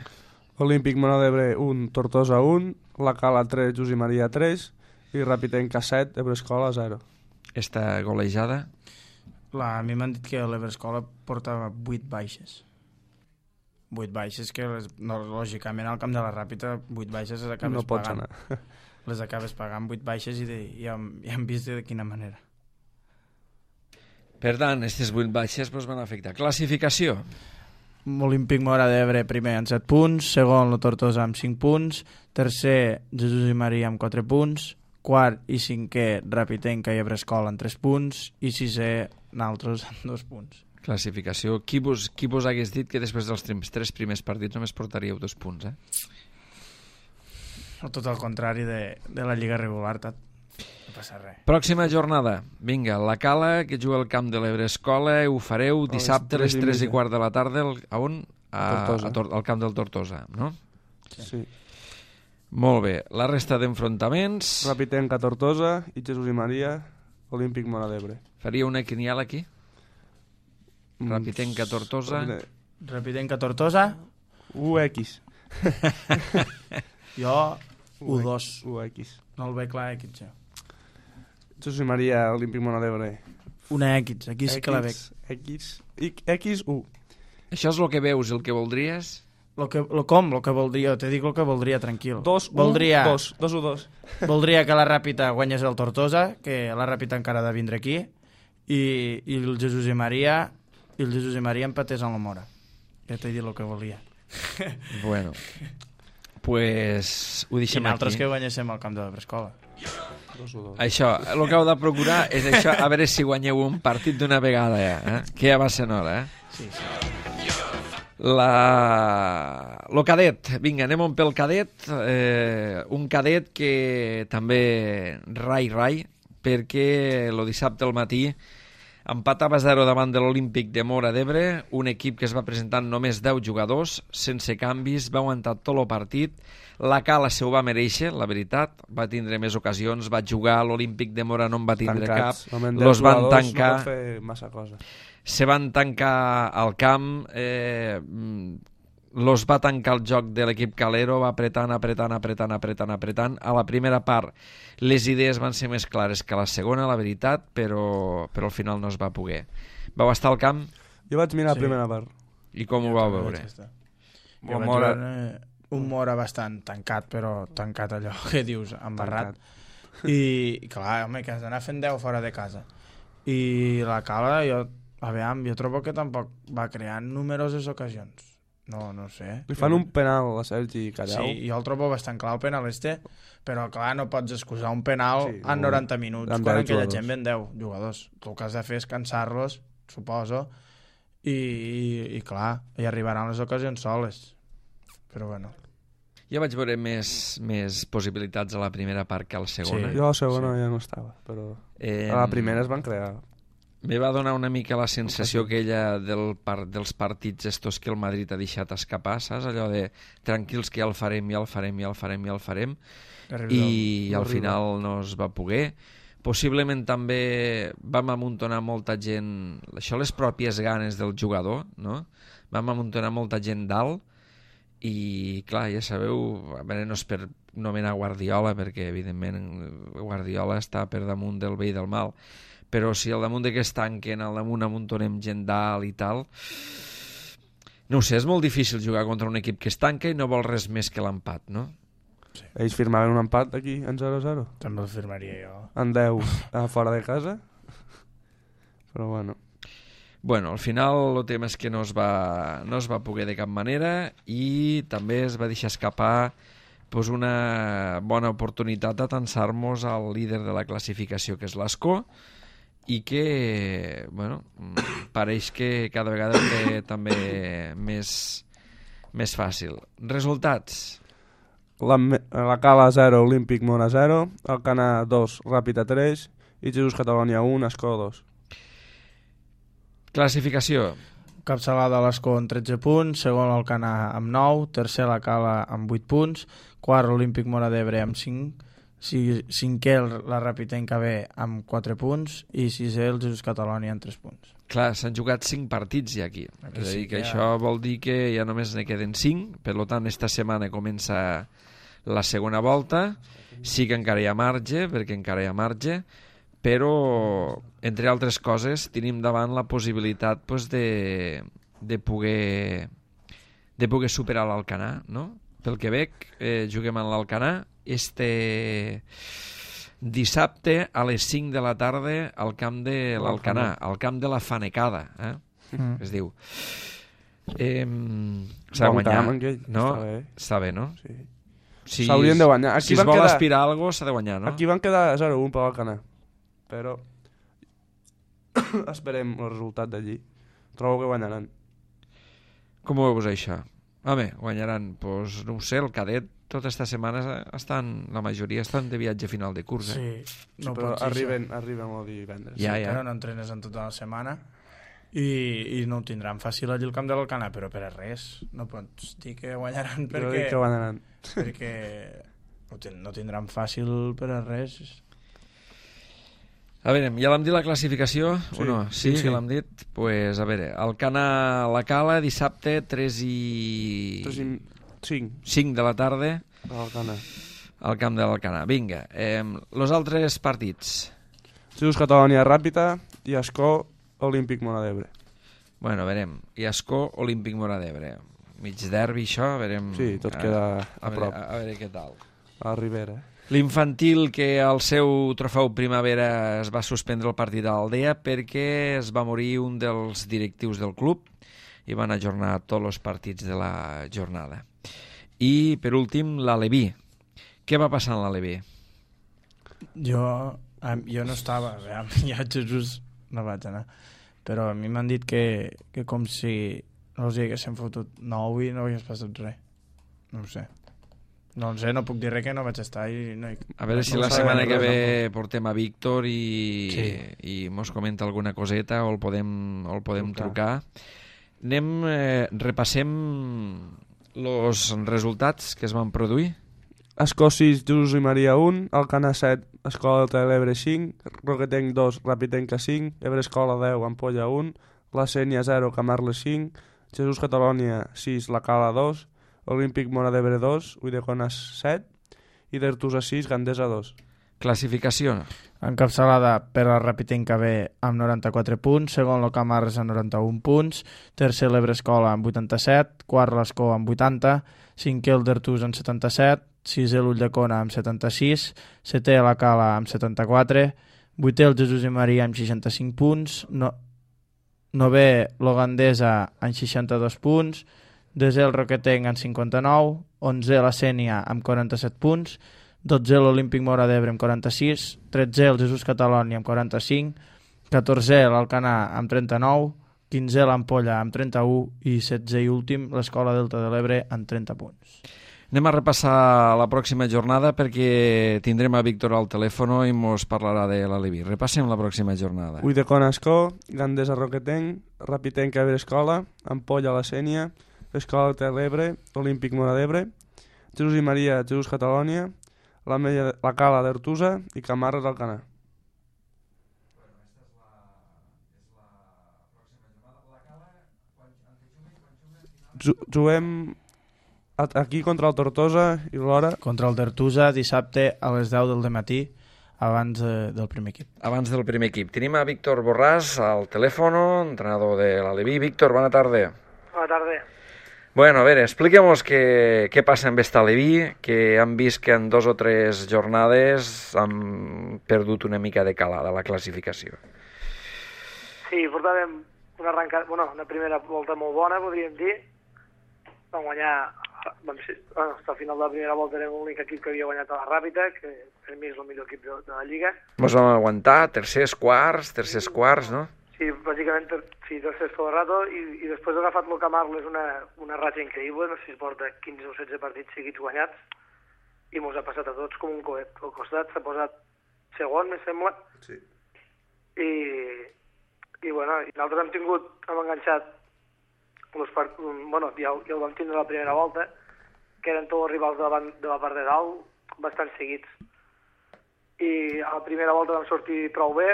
Olímpic Mora d'Ebre 1, Tortosa 1, La Cala 3, Josep Maria 3, i Rapitenca 7, Ebrescola 0. Esta golejada? A mi m'han dit que l'Ebrescola portava 8 baixes. 8 baixes que lògicament al camp de la Ràpita 8 baixes les acabes pagant. Les acabes pagant 8 baixes i ja hem vist de quina manera. Per tant, aquestes 8 baixes van afectar. Classificació? Olímpic Mora d'Ebre primer amb 7 punts, segon la Tortosa amb 5 punts, tercer Jesús i Maria amb 4 punts, quart i cinquè Rapitenca i Ebrescola amb 3 punts i sisè naltros amb 2 punts. Classificació. Qui vos hagués dit que després dels 3 primers partits només portaríeu 2 punts, O tot el contrari de la Lliga regular, No passa res. Pròxima jornada. Vinga, la Cala, que juga al camp de l'Ebre Escola, ho fareu dissabte a les 3:15 de la tarda. A on? Al camp del Tortosa, no? Sí. Molt bé. La resta d'enfrontaments... Rapitenca, Tortosa i Jesús i Maria, Olímpic Móra d'Ebre. Faria una quiniela aquí? Rapitenca, Tortosa... Rapitenca, Tortosa... UX. Jo, U2. UX. No el veig clar, X. Jesús i Maria, Olímpic Móra d'Ebre. Una X, aquí sí que la veig. XU. Això és el que veus, el que voldries? Lo que voldria, te dic el que voldria, tranquil. 2-1-2. Voldria que la Ràpita guanyés el Tortosa, que la Ràpita encara ha de vindre aquí, i el Jesús i Maria empatés en la Mora. Ja t'he dit el que volia. Bueno, pues ho deixem I nosaltres aquí. que guanyéssim al camp de l'Ebrescola. 2-1-2. Això, el que heu de procurar és això, a veure si guanyeu un partit d'una vegada ja, que ja va ser hora, Sí. Lo cadet, vinga, anem pel cadet, un cadet que també rai, perquè el dissabte al matí empatava 0 davant de l'Olímpic de Móra d'Ebre, un equip que es va presentar amb només 10 jugadors, sense canvis, va aguantar tot el partit, la Cala se ho va mereixer, la veritat, va tindre més ocasions, va jugar, l'Olímpic de Móra no en va tindre cap, los van tancar... No pot fer massa cosa. Se van tancar al camp, los va tancar el joc de l'equip calero, va apretant. A la primera part les idees van ser més clares que a la segona, la veritat, però al final no es va poder. Vau estar al camp? Jo vaig mirar la primera part. I com ho vau veure? Un Mora bastant tancat, però tancat allò que dius, embarrat. I clar, home, que has d'anar fent 10 fora de casa. I la Cala, jo trobo que tampoc va crear numeroses ocasions. No sé. Li fan un penal a Sergi Callau. Sí, jo el trobo bastant clar el penal però clar, no pots excusar un penal en 90 minuts, quan aquella gent ven 10 jugadors. El que has de fer és cansar-los, suposo, i clar, hi arribaran les ocasions soles. Però bueno. Jo vaig veure més possibilitats a la primera part que a la segona. Jo a la segona ja no estava, però a la primera es van crear. Me va donar una mica la sensació aquella dels partits estos que el Madrid ha deixat escapar, saps? Allò de tranquils que ja el farem, i al final no es va poder. Possiblement també vam amuntonar molta gent, això les pròpies ganes del jugador, no? Vam amuntonar molta gent dalt i clar, ja sabeu, a veure, no és per nomenar Guardiola, perquè evidentment Guardiola està per damunt del bé i del mal, però si al damunt de que es tanquen, al damunt amuntonem gent dalt i tal, no ho sé, és molt difícil jugar contra un equip que es tanca i no vol res més que l'empat, no? Sí. Ells firmaven un empat aquí en 0-0. També el firmaria jo. En 10 fora de casa. Però bueno. Bueno, al final el tema és que no es va poder de cap manera i també es va deixar escapar pues, una bona oportunitat d'atançar-nos al líder de la classificació, que és l'Escó, i que, bueno, pareix que cada vegada té també més fàcil. Resultats. La Cala 0, Olímpic Móra 0, Alcanar 2, Ràpita 3 i Jesús Catalunya 1, Escó 2. Classificació. Capçalada l'Escó amb 13 punts, segon l'Alcanar amb 9, tercer la Cala amb 8 punts, quart l'Olímpic Móra d'Ebre amb 5, cinquè la Rapitenca B amb 4 punts i sisè el Jesús Catalunya amb 3 punts. Clar, s'han jugat 5 partits ja aquí. És a dir, que això vol dir que ja només ne queden 5, per tant, esta setmana comença la segona volta, sí que encara hi ha marge, perquè encara hi ha marge, però, entre altres coses, tenim davant la possibilitat pues, de poder superar l'Alcanar, no? Pel que veig, juguem en l'Alcanar, dissabte a les 5 de la tarda al camp de l'Alcanar, al camp de la Fanecada, es diu. S'ha de guanyar, no? Està bé, no? Sí. Si s'haurien de guanyar. Si es vol aspirar a alguna cosa, s'ha de guanyar, no? Aquí van quedar 0-1 per l'Alcanar, però esperem el resultat d'allí. Trobo que guanyaran. Com ho veus això? Home, guanyaran, doncs no ho sé, el cadet tota esta setmana la majoria estan de viatge final de curs, Sí, no però pots dir arriben el divendres. Ja. Però no entrenes en tota la setmana i no ho tindran fàcil allí al camp de l'Alcanar, però per a res. No pots dir que guanyaran Jo dic que guanyaran. perquè no tindran fàcil per a res. A veure, ja l'hem dit la classificació? Sí, o no? Sí, sí. que l'hem dit? Doncs, pues, a veure, Alcanar la Cala, dissabte, 3 i 5 de la tarda, al camp de l'Alcanar. Vinga, los altres partits. Jesús Catalònia Ràpita i Ascó Olímpic Móra d'Ebre. Bueno, verem. I Ascó Olímpic Móra d'Ebre. Mig derbi, això, verem... Sí, tot queda a prop. A veure què tal. A la Ribera. L'infantil, que al seu trofeu primavera es va suspendre el partit a l'Aldea perquè es va morir un dels directius del club i van ajornar tots els partits de la jornada. I, per últim, l'Aleví. Què va passar en l'Aleví? Jo no estava, ja Jesús no vaig anar, però a mi m'han dit que com si no els hi haguessin fotut 9 i no hagués passat res. No ho sé. No sé, no puc dir res que no vaig estar i no... A veure si la setmana que ve portem a Víctor i mos comenta alguna coseta o el podem trucar. Repassem els resultats que es van produir. Ascó 6, Jesús i Maria 1, Alcanar 7, Escola de l'Ebre 5, Roquetenc 2, Rapitenca 5, Ebre Escola 10, Ampolla 1, La Sénia 0, Camarles 5, Jesús Catalònia 6, La Cala 2, Olímpic Móra d'Ebre 2, Ulldecona 7 i d'Artusa 6, Gandesa 2. Classificació. Encapçalada per la Rapitenca B amb 94 punts, segon el Camarles amb 91 punts, tercer l'Ebre Escola amb 87, quart l'Escó amb 80, cinquè el d'Artusa amb 77, sisè l'Ulldecona amb 76, setè la Cala amb 74, vuitè el Jesús i Maria amb 65 punts, novè l'Ogandesa amb 62 punts, desè el Roquetenc amb 59, 11è la Sénia amb 47 punts, 12è l'Olímpic Móra d'Ebre amb 46, 13è el Jesús Catalònia amb 45, 14è l'Alcanar amb 39, 15è l'Ampolla amb 31 i 16è i últim l'Escola Delta de l'Ebre amb 30 punts. Anem a repassar la pròxima jornada perquè tindrem a Víctor al telèfon i mos parlarà de l'Aleví. Repassem la pròxima jornada. Ulldecona Ascó, Gandesa Roquetenc, Rapitenca Ebre Escola, Ampolla La Sénia, Escola de l'Ebre, Olímpic Móra d'Ebre, Jesús i Maria, Jesús Catalònia, la Cala d'Artusa i Camarles Alcanar. Juguem aquí contra el Tortosa i l'hora... Contra el Tortosa dissabte a les 10 del matí abans del primer equip. Abans del primer equip. Tenim a Víctor Borràs al telèfon, entrenador de l'Aleví. Víctor, bona tarda. Bona tarda. Bueno, a veure, expliquem-nos què passa amb esta Aleví, que hem vist que en 2 o 3 jornades han perdut una mica de calada la classificació. Sí, portàvem una primera volta molt bona, podríem dir. Vam guanyar, fins al final de la primera volta érem l'únic equip que havia guanyat a la Ràpita, que per mi és el millor equip de la Lliga. Mos vam aguantar, tercers quarts, no? Sí, bàsicament, sí, tercers tot el rato, i després ha agafat el Camarles una ratxa increïble, no sé si es porta 15 o 16 partits seguits guanyats, i mos ha passat a tots com un coet. Al costat s'ha posat segon, me sembla, sí. I nosaltres hem enganxat ja ho vam tindre la primera volta, que eren tots els rivals de la part de dalt, bastant seguits. I a la primera volta vam sortir prou bé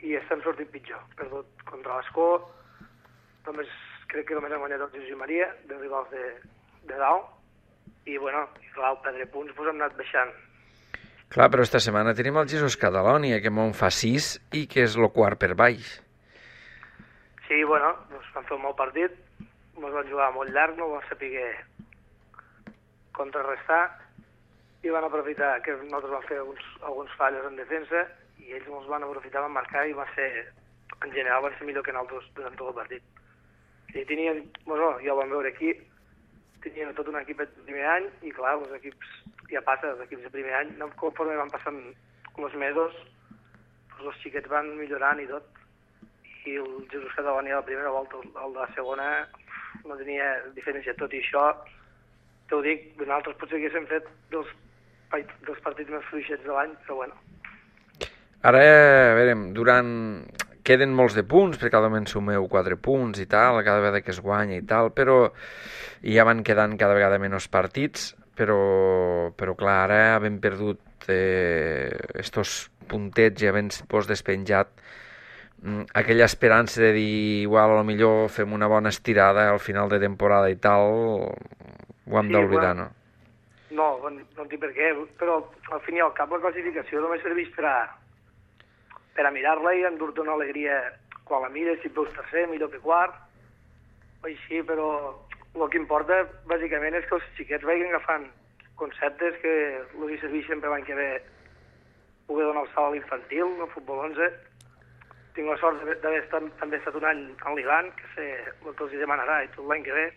i estem sortint pitjor. Perdut contra l'Escó, crec que només hem guanyat el Jesús i Maria, de rivals de dalt, i clar, al perdre punts hem anat baixant. Clar, però esta setmana tenim el Jesús Catalònia, que m'on fa 6 i que és el quart per baix. Sí, vam fer un mal partit, ens van jugar molt llarg, no vam saber contrarrestar i van aprofitar que nosaltres vam fer alguns fallos en defensa i ells ens van aprofitar, van marcar i en general van ser millor que nosaltres durant tot el partit. I tenien, ja ho vam veure aquí, tenien tot un equip de primer any i clar, els equips, ja passa, els equips de primer any, conforme van passant els mesos, els xiquets van millorant i tot. I el Jesús Catalònia a la primera volta, el de la segona, no tenia diferència. Tot i això, t'ho dic, nosaltres potser haguéssim fet dos partits més fluixets de l'any, però bueno. Ara, a veure, queden molts de punts, perquè cada moment sumeu 4 punts i tal, cada vegada que es guanya i tal, però ja van quedant cada vegada menys partits, però clar, ara havent perdut estos puntets i havent-vos despenjat, aquella esperança de dir, igual, a lo millor fem una bona estirada al final de temporada i tal, ho hem d'oblidar, no? No entenc per què, però al fin i al cap la classificació només serveix per a mirar-la i endur-te una alegria quan la mires, si veus tercer, millor que quart, o així, però el que importa bàsicament és que els xiquets vagin agafant conceptes que els hi serveixen per l'any que ve poder donar el salt a l'infantil, al futbol 11. Tinc la sort d'haver també estat un any en l'Ivan, que sé el que els hi demanarà i tot l'any que ve.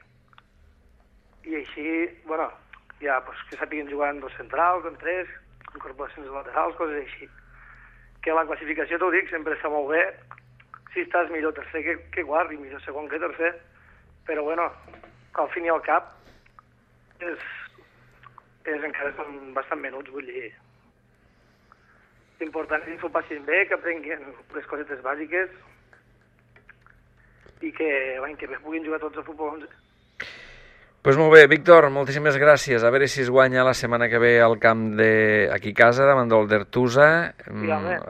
I així, bueno, ja que sàpiguen jugar en 2 centrals, en 3, incorporacions laterals, coses així. Que la classificació, t'ho dic, sempre està molt bé. Si estàs millor tercer que quart i millor segon que tercer, però bueno, al fin i al cap encara són bastant menuts, vull dir. L'important és que s'ho passin bé, que aprenguin les cosetes bàsiques i que l'any que ve puguin jugar tots a futbol 11. Pues molt bé, Víctor, moltíssimes gràcies. A veure si es guanya la setmana que ve al camp aquí a casa, davant del Dertusa.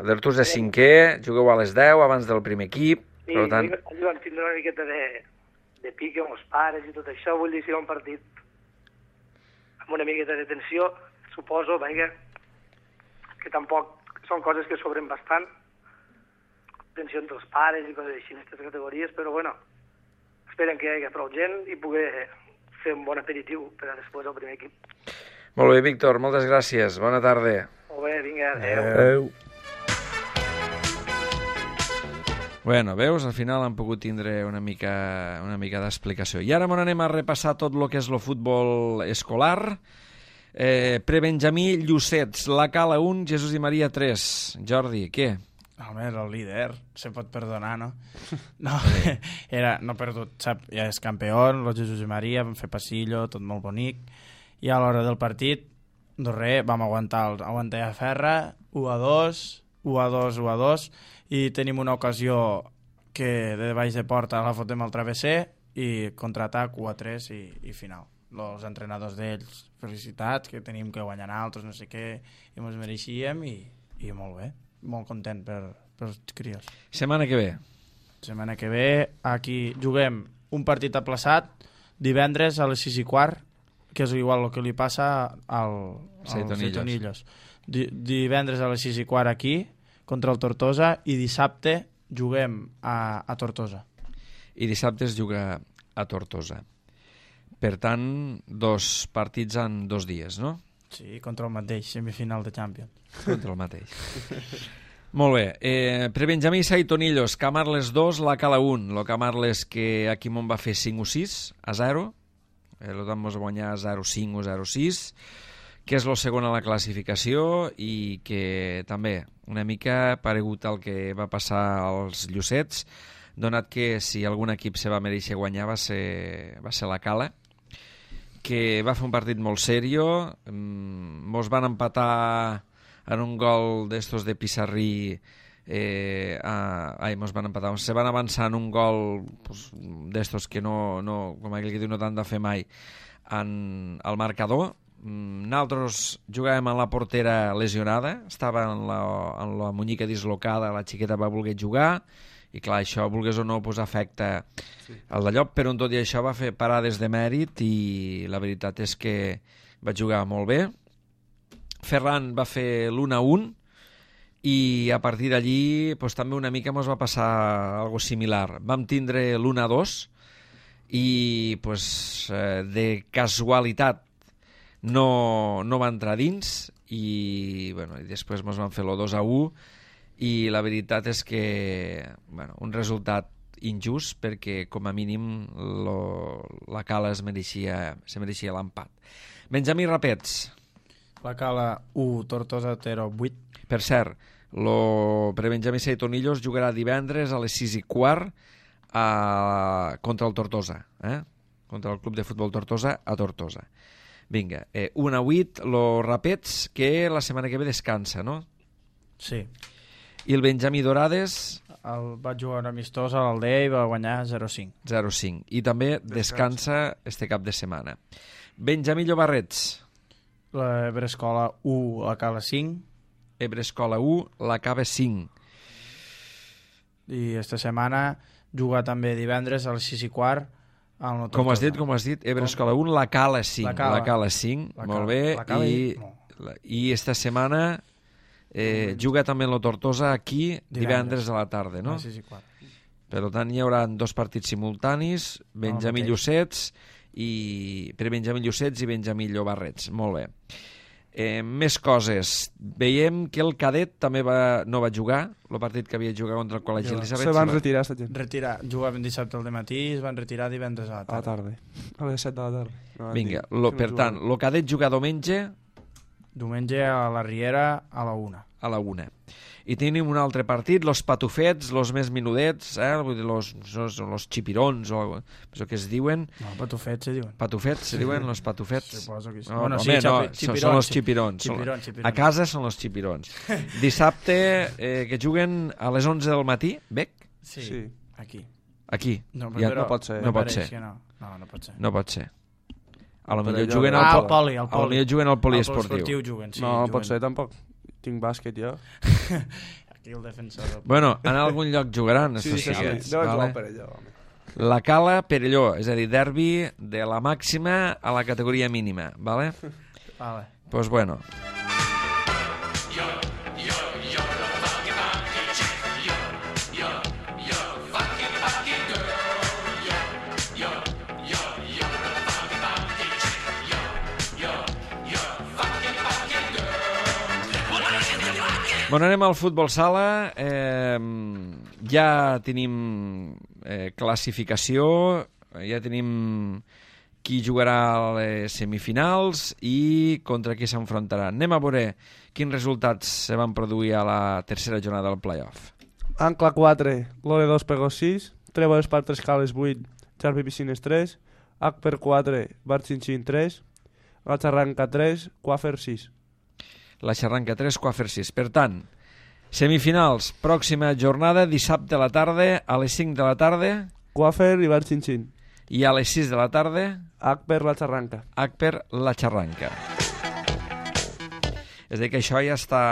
Dertusa 5è, jugueu a les 10, abans del primer equip. I per tant... allò van tindre una miqueta de pique amb els pares i tot això, vull dir, si un partit amb una miqueta de tensió, suposo, vaja, que tampoc són coses que sobren bastant, tensió entre els pares i coses així en aquestes categories, però bueno, esperen que hi hagi prou gent i poder fer un bon aperitiu per a després al primer equip. Molt bé, Víctor, moltes gràcies. Bona tarda. Molt bé, vinga, adéu. Bueno, veus, al final han pogut tindre una mica d'explicació. I ara anem a repassar tot el que és el futbol escolar. Prebenjamí Llucets, la Cala 1, Jesús i Maria 3. Jordi, què? Home, era el líder, se pot perdonar, no? No, no ha perdut, sap, ja és campió, el Jesús i Maria, vam fer passillo, tot molt bonic, i a l'hora del partit, doncs res, vam aguantar a ferra, 1-2, 1-2, i tenim una ocasió que de baix de porta la fotem al travesser, i contraatac 1-3 i final. Els entrenadors d'ells, felicitats, que tenim que guanyar altres, no sé què, i ens mereixíem, i molt bé. Molt content pels crios. Setmana que ve? Setmana que ve, aquí juguem un partit aplaçat, divendres a les 6:15, que és igual el que li passa al Seitonillos. Divendres a les 6:15 aquí, contra el Tortosa, i dissabte juguem a Tortosa. I dissabte es juga a Tortosa. Per tant, 2 partits en 2 dies, no? Sí, contra el mateix, semifinal de Champions. Contra el mateix. Molt bé. Prebenjamí Saitonillos, Camarles 2, la Cala 1. Lo Camarles que aquí m'on va fer 5-6-0. El vam guanyar 0-5 o 0-6, que és el segon a la classificació i que també una mica paregut al que va passar als Llucets, donat que si algun equip se va mereixer guanyar va ser la Cala, que va fer un partit molt serio, mos van empatar en un gol d'estos de Pissarrí, mos van empatar, se van avançar en un gol d'estos que no, com aquell que diu, no t'han de fer mai, al marcador. Nosaltres jugàvem en la portera lesionada, estava en la munyica dislocada, la xiqueta va voler jugar, i clar, això, vulgués o no, afecta el d'allò, però en tot i això va fer parades de mèrit i la veritat és que va jugar molt bé. Ferran va fer l'1-1 i a partir d'allí també una mica ens va passar algo similar. Vam tindre l'1-2 i de casualitat no va entrar dins i després ens van fer el 2-1 i la veritat és que un resultat injust perquè com a mínim la Cala se mereixia l'empat. Benjamí Rapets. La Cala 1, Tortosa 0, 8. Per cert, Prebenjamí Saitonillos jugarà divendres a les 6:15 contra el Tortosa. contra el Club de Futbol Tortosa a Tortosa. Vinga, 1-8, los Rapets, que la setmana que ve descansa, no? Sí. I el Benjamí Dorades... Va jugar un amistós a l'Aldea i va guanyar 0-5. 0-5. I també descansa este cap de setmana. Benjamí Llobarrets. L'Ebre Escola 1 a Cala 5. Ebre Escola 1, la Cava 5. I esta setmana juga també divendres a les 6:15 al No Com has dit? Ebre Escola 1, la Cala 5. La Cala 5, molt bé. I esta setmana juga també en la Tortosa aquí divendres a la tarda, no? A les 6:15. Per tant, hi haurà dos partits simultanis, Benjamí Llucets i Benjamí Llobarrets. Molt bé. Més coses. Veiem que el cadet també no va jugar, el partit que havia jugat contra el Col·legi Elisabet. Se van retirar, esta gent. Jugaven dissabte al matí i es van retirar divendres a la tarda. A la tarda. A les 7 de la tarda. Vinga, per tant, el cadet juga diumenge... Diumenge a la Riera a la 1. A la 1. I tenim un altre partit, los patufets, los més menudets, vull dir, los xipirons, o això que es diuen. No, patufets se diuen. Patufets se diuen, los patufets. Suposo que sí. No, bueno, sí, són los xipirons. A casa són los xipirons. Dissabte, que juguen a les 11 del matí, Bec? Sí, aquí. Aquí. No, no pot ser. No pot ser. No pot ser. A lo millor juguen al poli. A lo millor juguen al poliesportiu. No, pot ser tampoc. Tinc bàsquet jo. Aquí el defensor. Bueno, en algun lloc jugaran. Sí, deu jugar per allò. La Cala Perelló, és a dir, derbi de la màxima a la categoria mínima, vale? Vale. Pues bueno. Bueno, anem al futbol sala. Ja tenim classificació, ja tenim qui jugarà a les semifinals i contra qui s'enfrontarà. Anem a veure quins resultats se van produir a la tercera jornada del play-off. Ancla 4, Lore 2, Pegos 6, Trèvoles per 3 Cales 8, Xarpi Piscines 3, Acper 4, Barxinxin 3, La Xarranca 3, Quafer 6. La Xarranca 3, Quafer 6. Per tant, semifinals, pròxima jornada, dissabte a la tarda, a les 5 de la tarda. Quafer i Barxinxin. I a les 6 de la tarda... Acper, La Xarranca. Acper, La Xarranca. És a dir, que això ja està...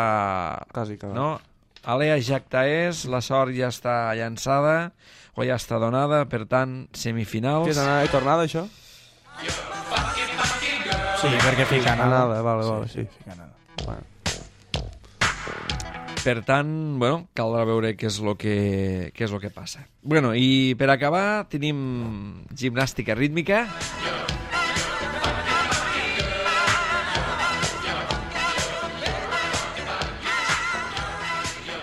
Quasi acabat. No? Alea Jacta és, la sort ja està llançada, o ja està donada, per tant, semifinals... Què és anada i tornada, això? Sí, perquè fica anada. Vale, sí. Fica anada. Bueno. Per tant, bueno, caldrà veure què és lo que passa. Bueno, i per acabar tenim gimnàstica rítmica.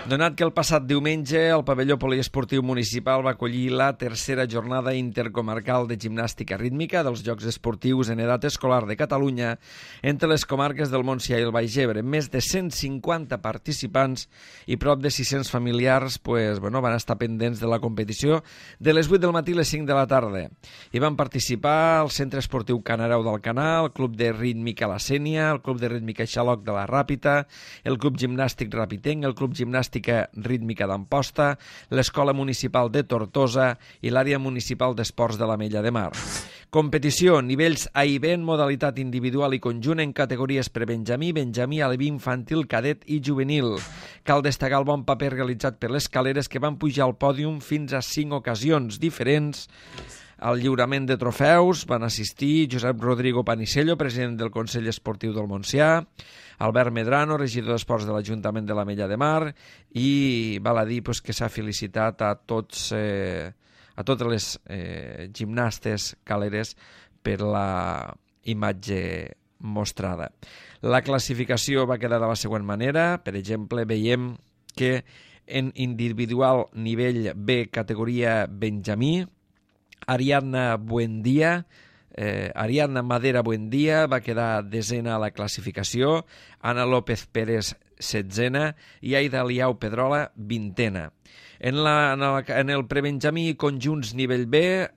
Donat que el passat diumenge el pavelló poliesportiu municipal va acollir la tercera jornada intercomarcal de gimnàstica rítmica dels Jocs Esportius en edat escolar de Catalunya entre les comarques del Montsià i el Baix Ebre, més de 150 participants i prop de 600 familiars van estar pendents de la competició de les 8 del matí a les 5 de la tarda. Hi van participar el Centre Esportiu Canarau d'Alcanar, el Club de Rítmica La Sénia, el Club de Rítmica Xaloc de la Ràpita, el Club Gimnàstic Rapitenc, el Club Gimnàstic Rítmica d'Amposta, l'Escola Municipal de Tortosa i l'Àrea Municipal d'Esports de l'Ametlla de Mar. Competició, nivells A i B en modalitat individual i conjunt en categories prebenjamí, benjamí, aleví, infantil, cadet i juvenil. Cal destacar el bon paper realitzat per les caleres que van pujar al pòdium fins a 5 ocasions diferents. Al lliurament de trofeus van assistir Josep Rodrigo Panicello, president del Consell Esportiu del Montsià, Albert Medrano, regidor d'Esports de l'Ajuntament de l'Ametlla de Mar, i val a dir que s'ha felicitat a totes les gimnastes caleres per la imatge mostrada. La classificació va quedar de la següent manera. Per exemple, veiem que en individual nivell B, categoria benjamí, Ariadna Madera Buendía va quedar desena a la classificació, Ana López Pérez setzena i Aida Liau Pedrola vintena. En el prebenjamí conjunts nivell B,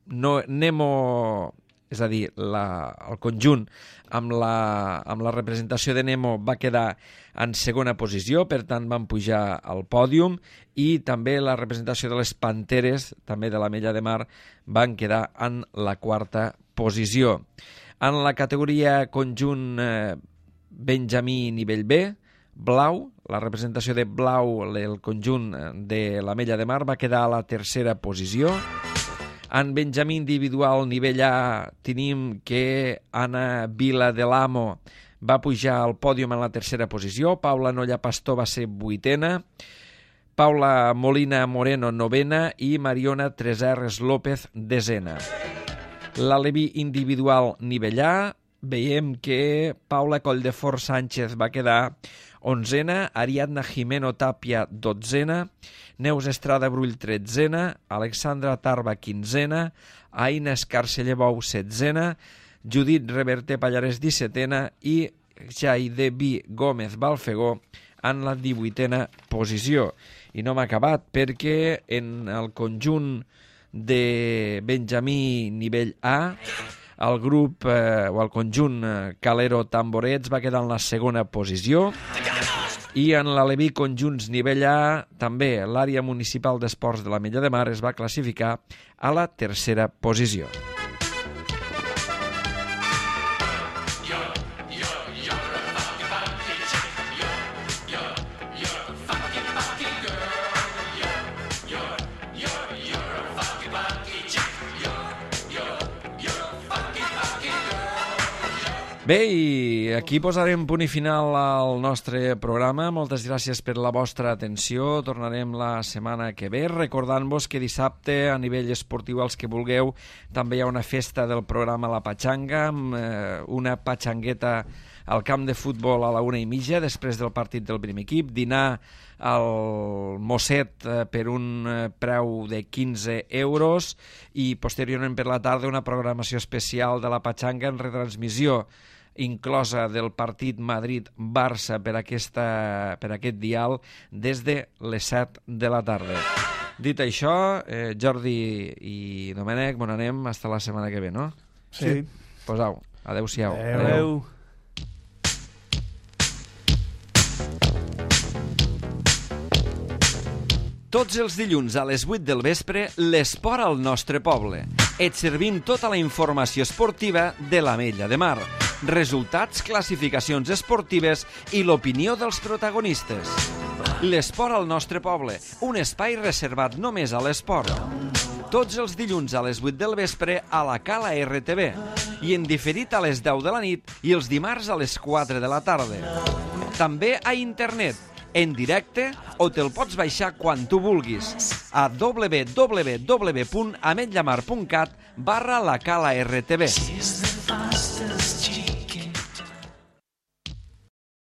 Nemo, és a dir, el conjunt amb la representació de Nemo va quedar en segona posició, per tant van pujar al pòdium, i també la representació de les Panteres, també de l'Ametlla de Mar, van quedar en la quarta posició. En la categoria conjunt Benjamí nivell B, blau, la representació de blau, el conjunt de l'Ametlla de Mar, va quedar a la tercera posició. En Benjamí individual nivell A tenim que Anna Vila de l'Amo va pujar al pòdium en la tercera posició, Paula Nolla Pastor va ser vuitena, Paula Molina Moreno novena i Mariona Tresserres López desena. L'Aleví individual nivell A, veiem que Paula Colldefort Sánchez va quedar onzena, Ariadna Jimeno Tàpia dotzena, Neus Estrada Brull tretzena, Alexandra Tarba quinzena, Aina Escarcellebou setzena, Judit Reverter Pallares 17a i Jaidebi Gómez Balfegó en la 18a posició. I no m'ha acabat perquè en el conjunt de Benjamí nivell A, el grup o el conjunt Calero Tamborets va quedar en la segona posició, i en l'Aleví conjunts nivell A també l'àrea municipal d'esports de l'Ametlla de Mar es va classificar a la tercera posició. Bé, i aquí posarem punt i final al nostre programa. Moltes gràcies per la vostra atenció. Tornarem la setmana que ve, recordant-vos que dissabte, a nivell esportiu, als que vulgueu, també hi ha una festa del programa La Patxanga, amb una patxangueta al camp de futbol a la 1:30, després del partit del primer equip, dinar al Mosset per un preu de 15 euros i posteriorment per la tarda una programació especial de La Patxanga en retransmissió inclosa del partit Madrid-Barça per aquest dial des de les 7 de la tarda. Dit això, Jordi i Domènec, bon anem, hasta la setmana que ve, no? Sí. Pues au, adeu-siau. Adeu. Tots els dilluns a les 8 del vespre, l'esport al nostre poble. Et servim tota la informació esportiva de l'Ametlla de Mar. Resultats, classificacions esportives i l'opinió dels protagonistes. L'esport al nostre poble, un espai reservat només a l'esport. Tots els dilluns a les 8 del vespre a la Cala RTV i en diferit a les 10 de la nit i els dimarts a les 4 de la tarda. També a internet, en directe, o te'l pots baixar quan tu vulguis a www.ametllamar.cat/la Cala RTV.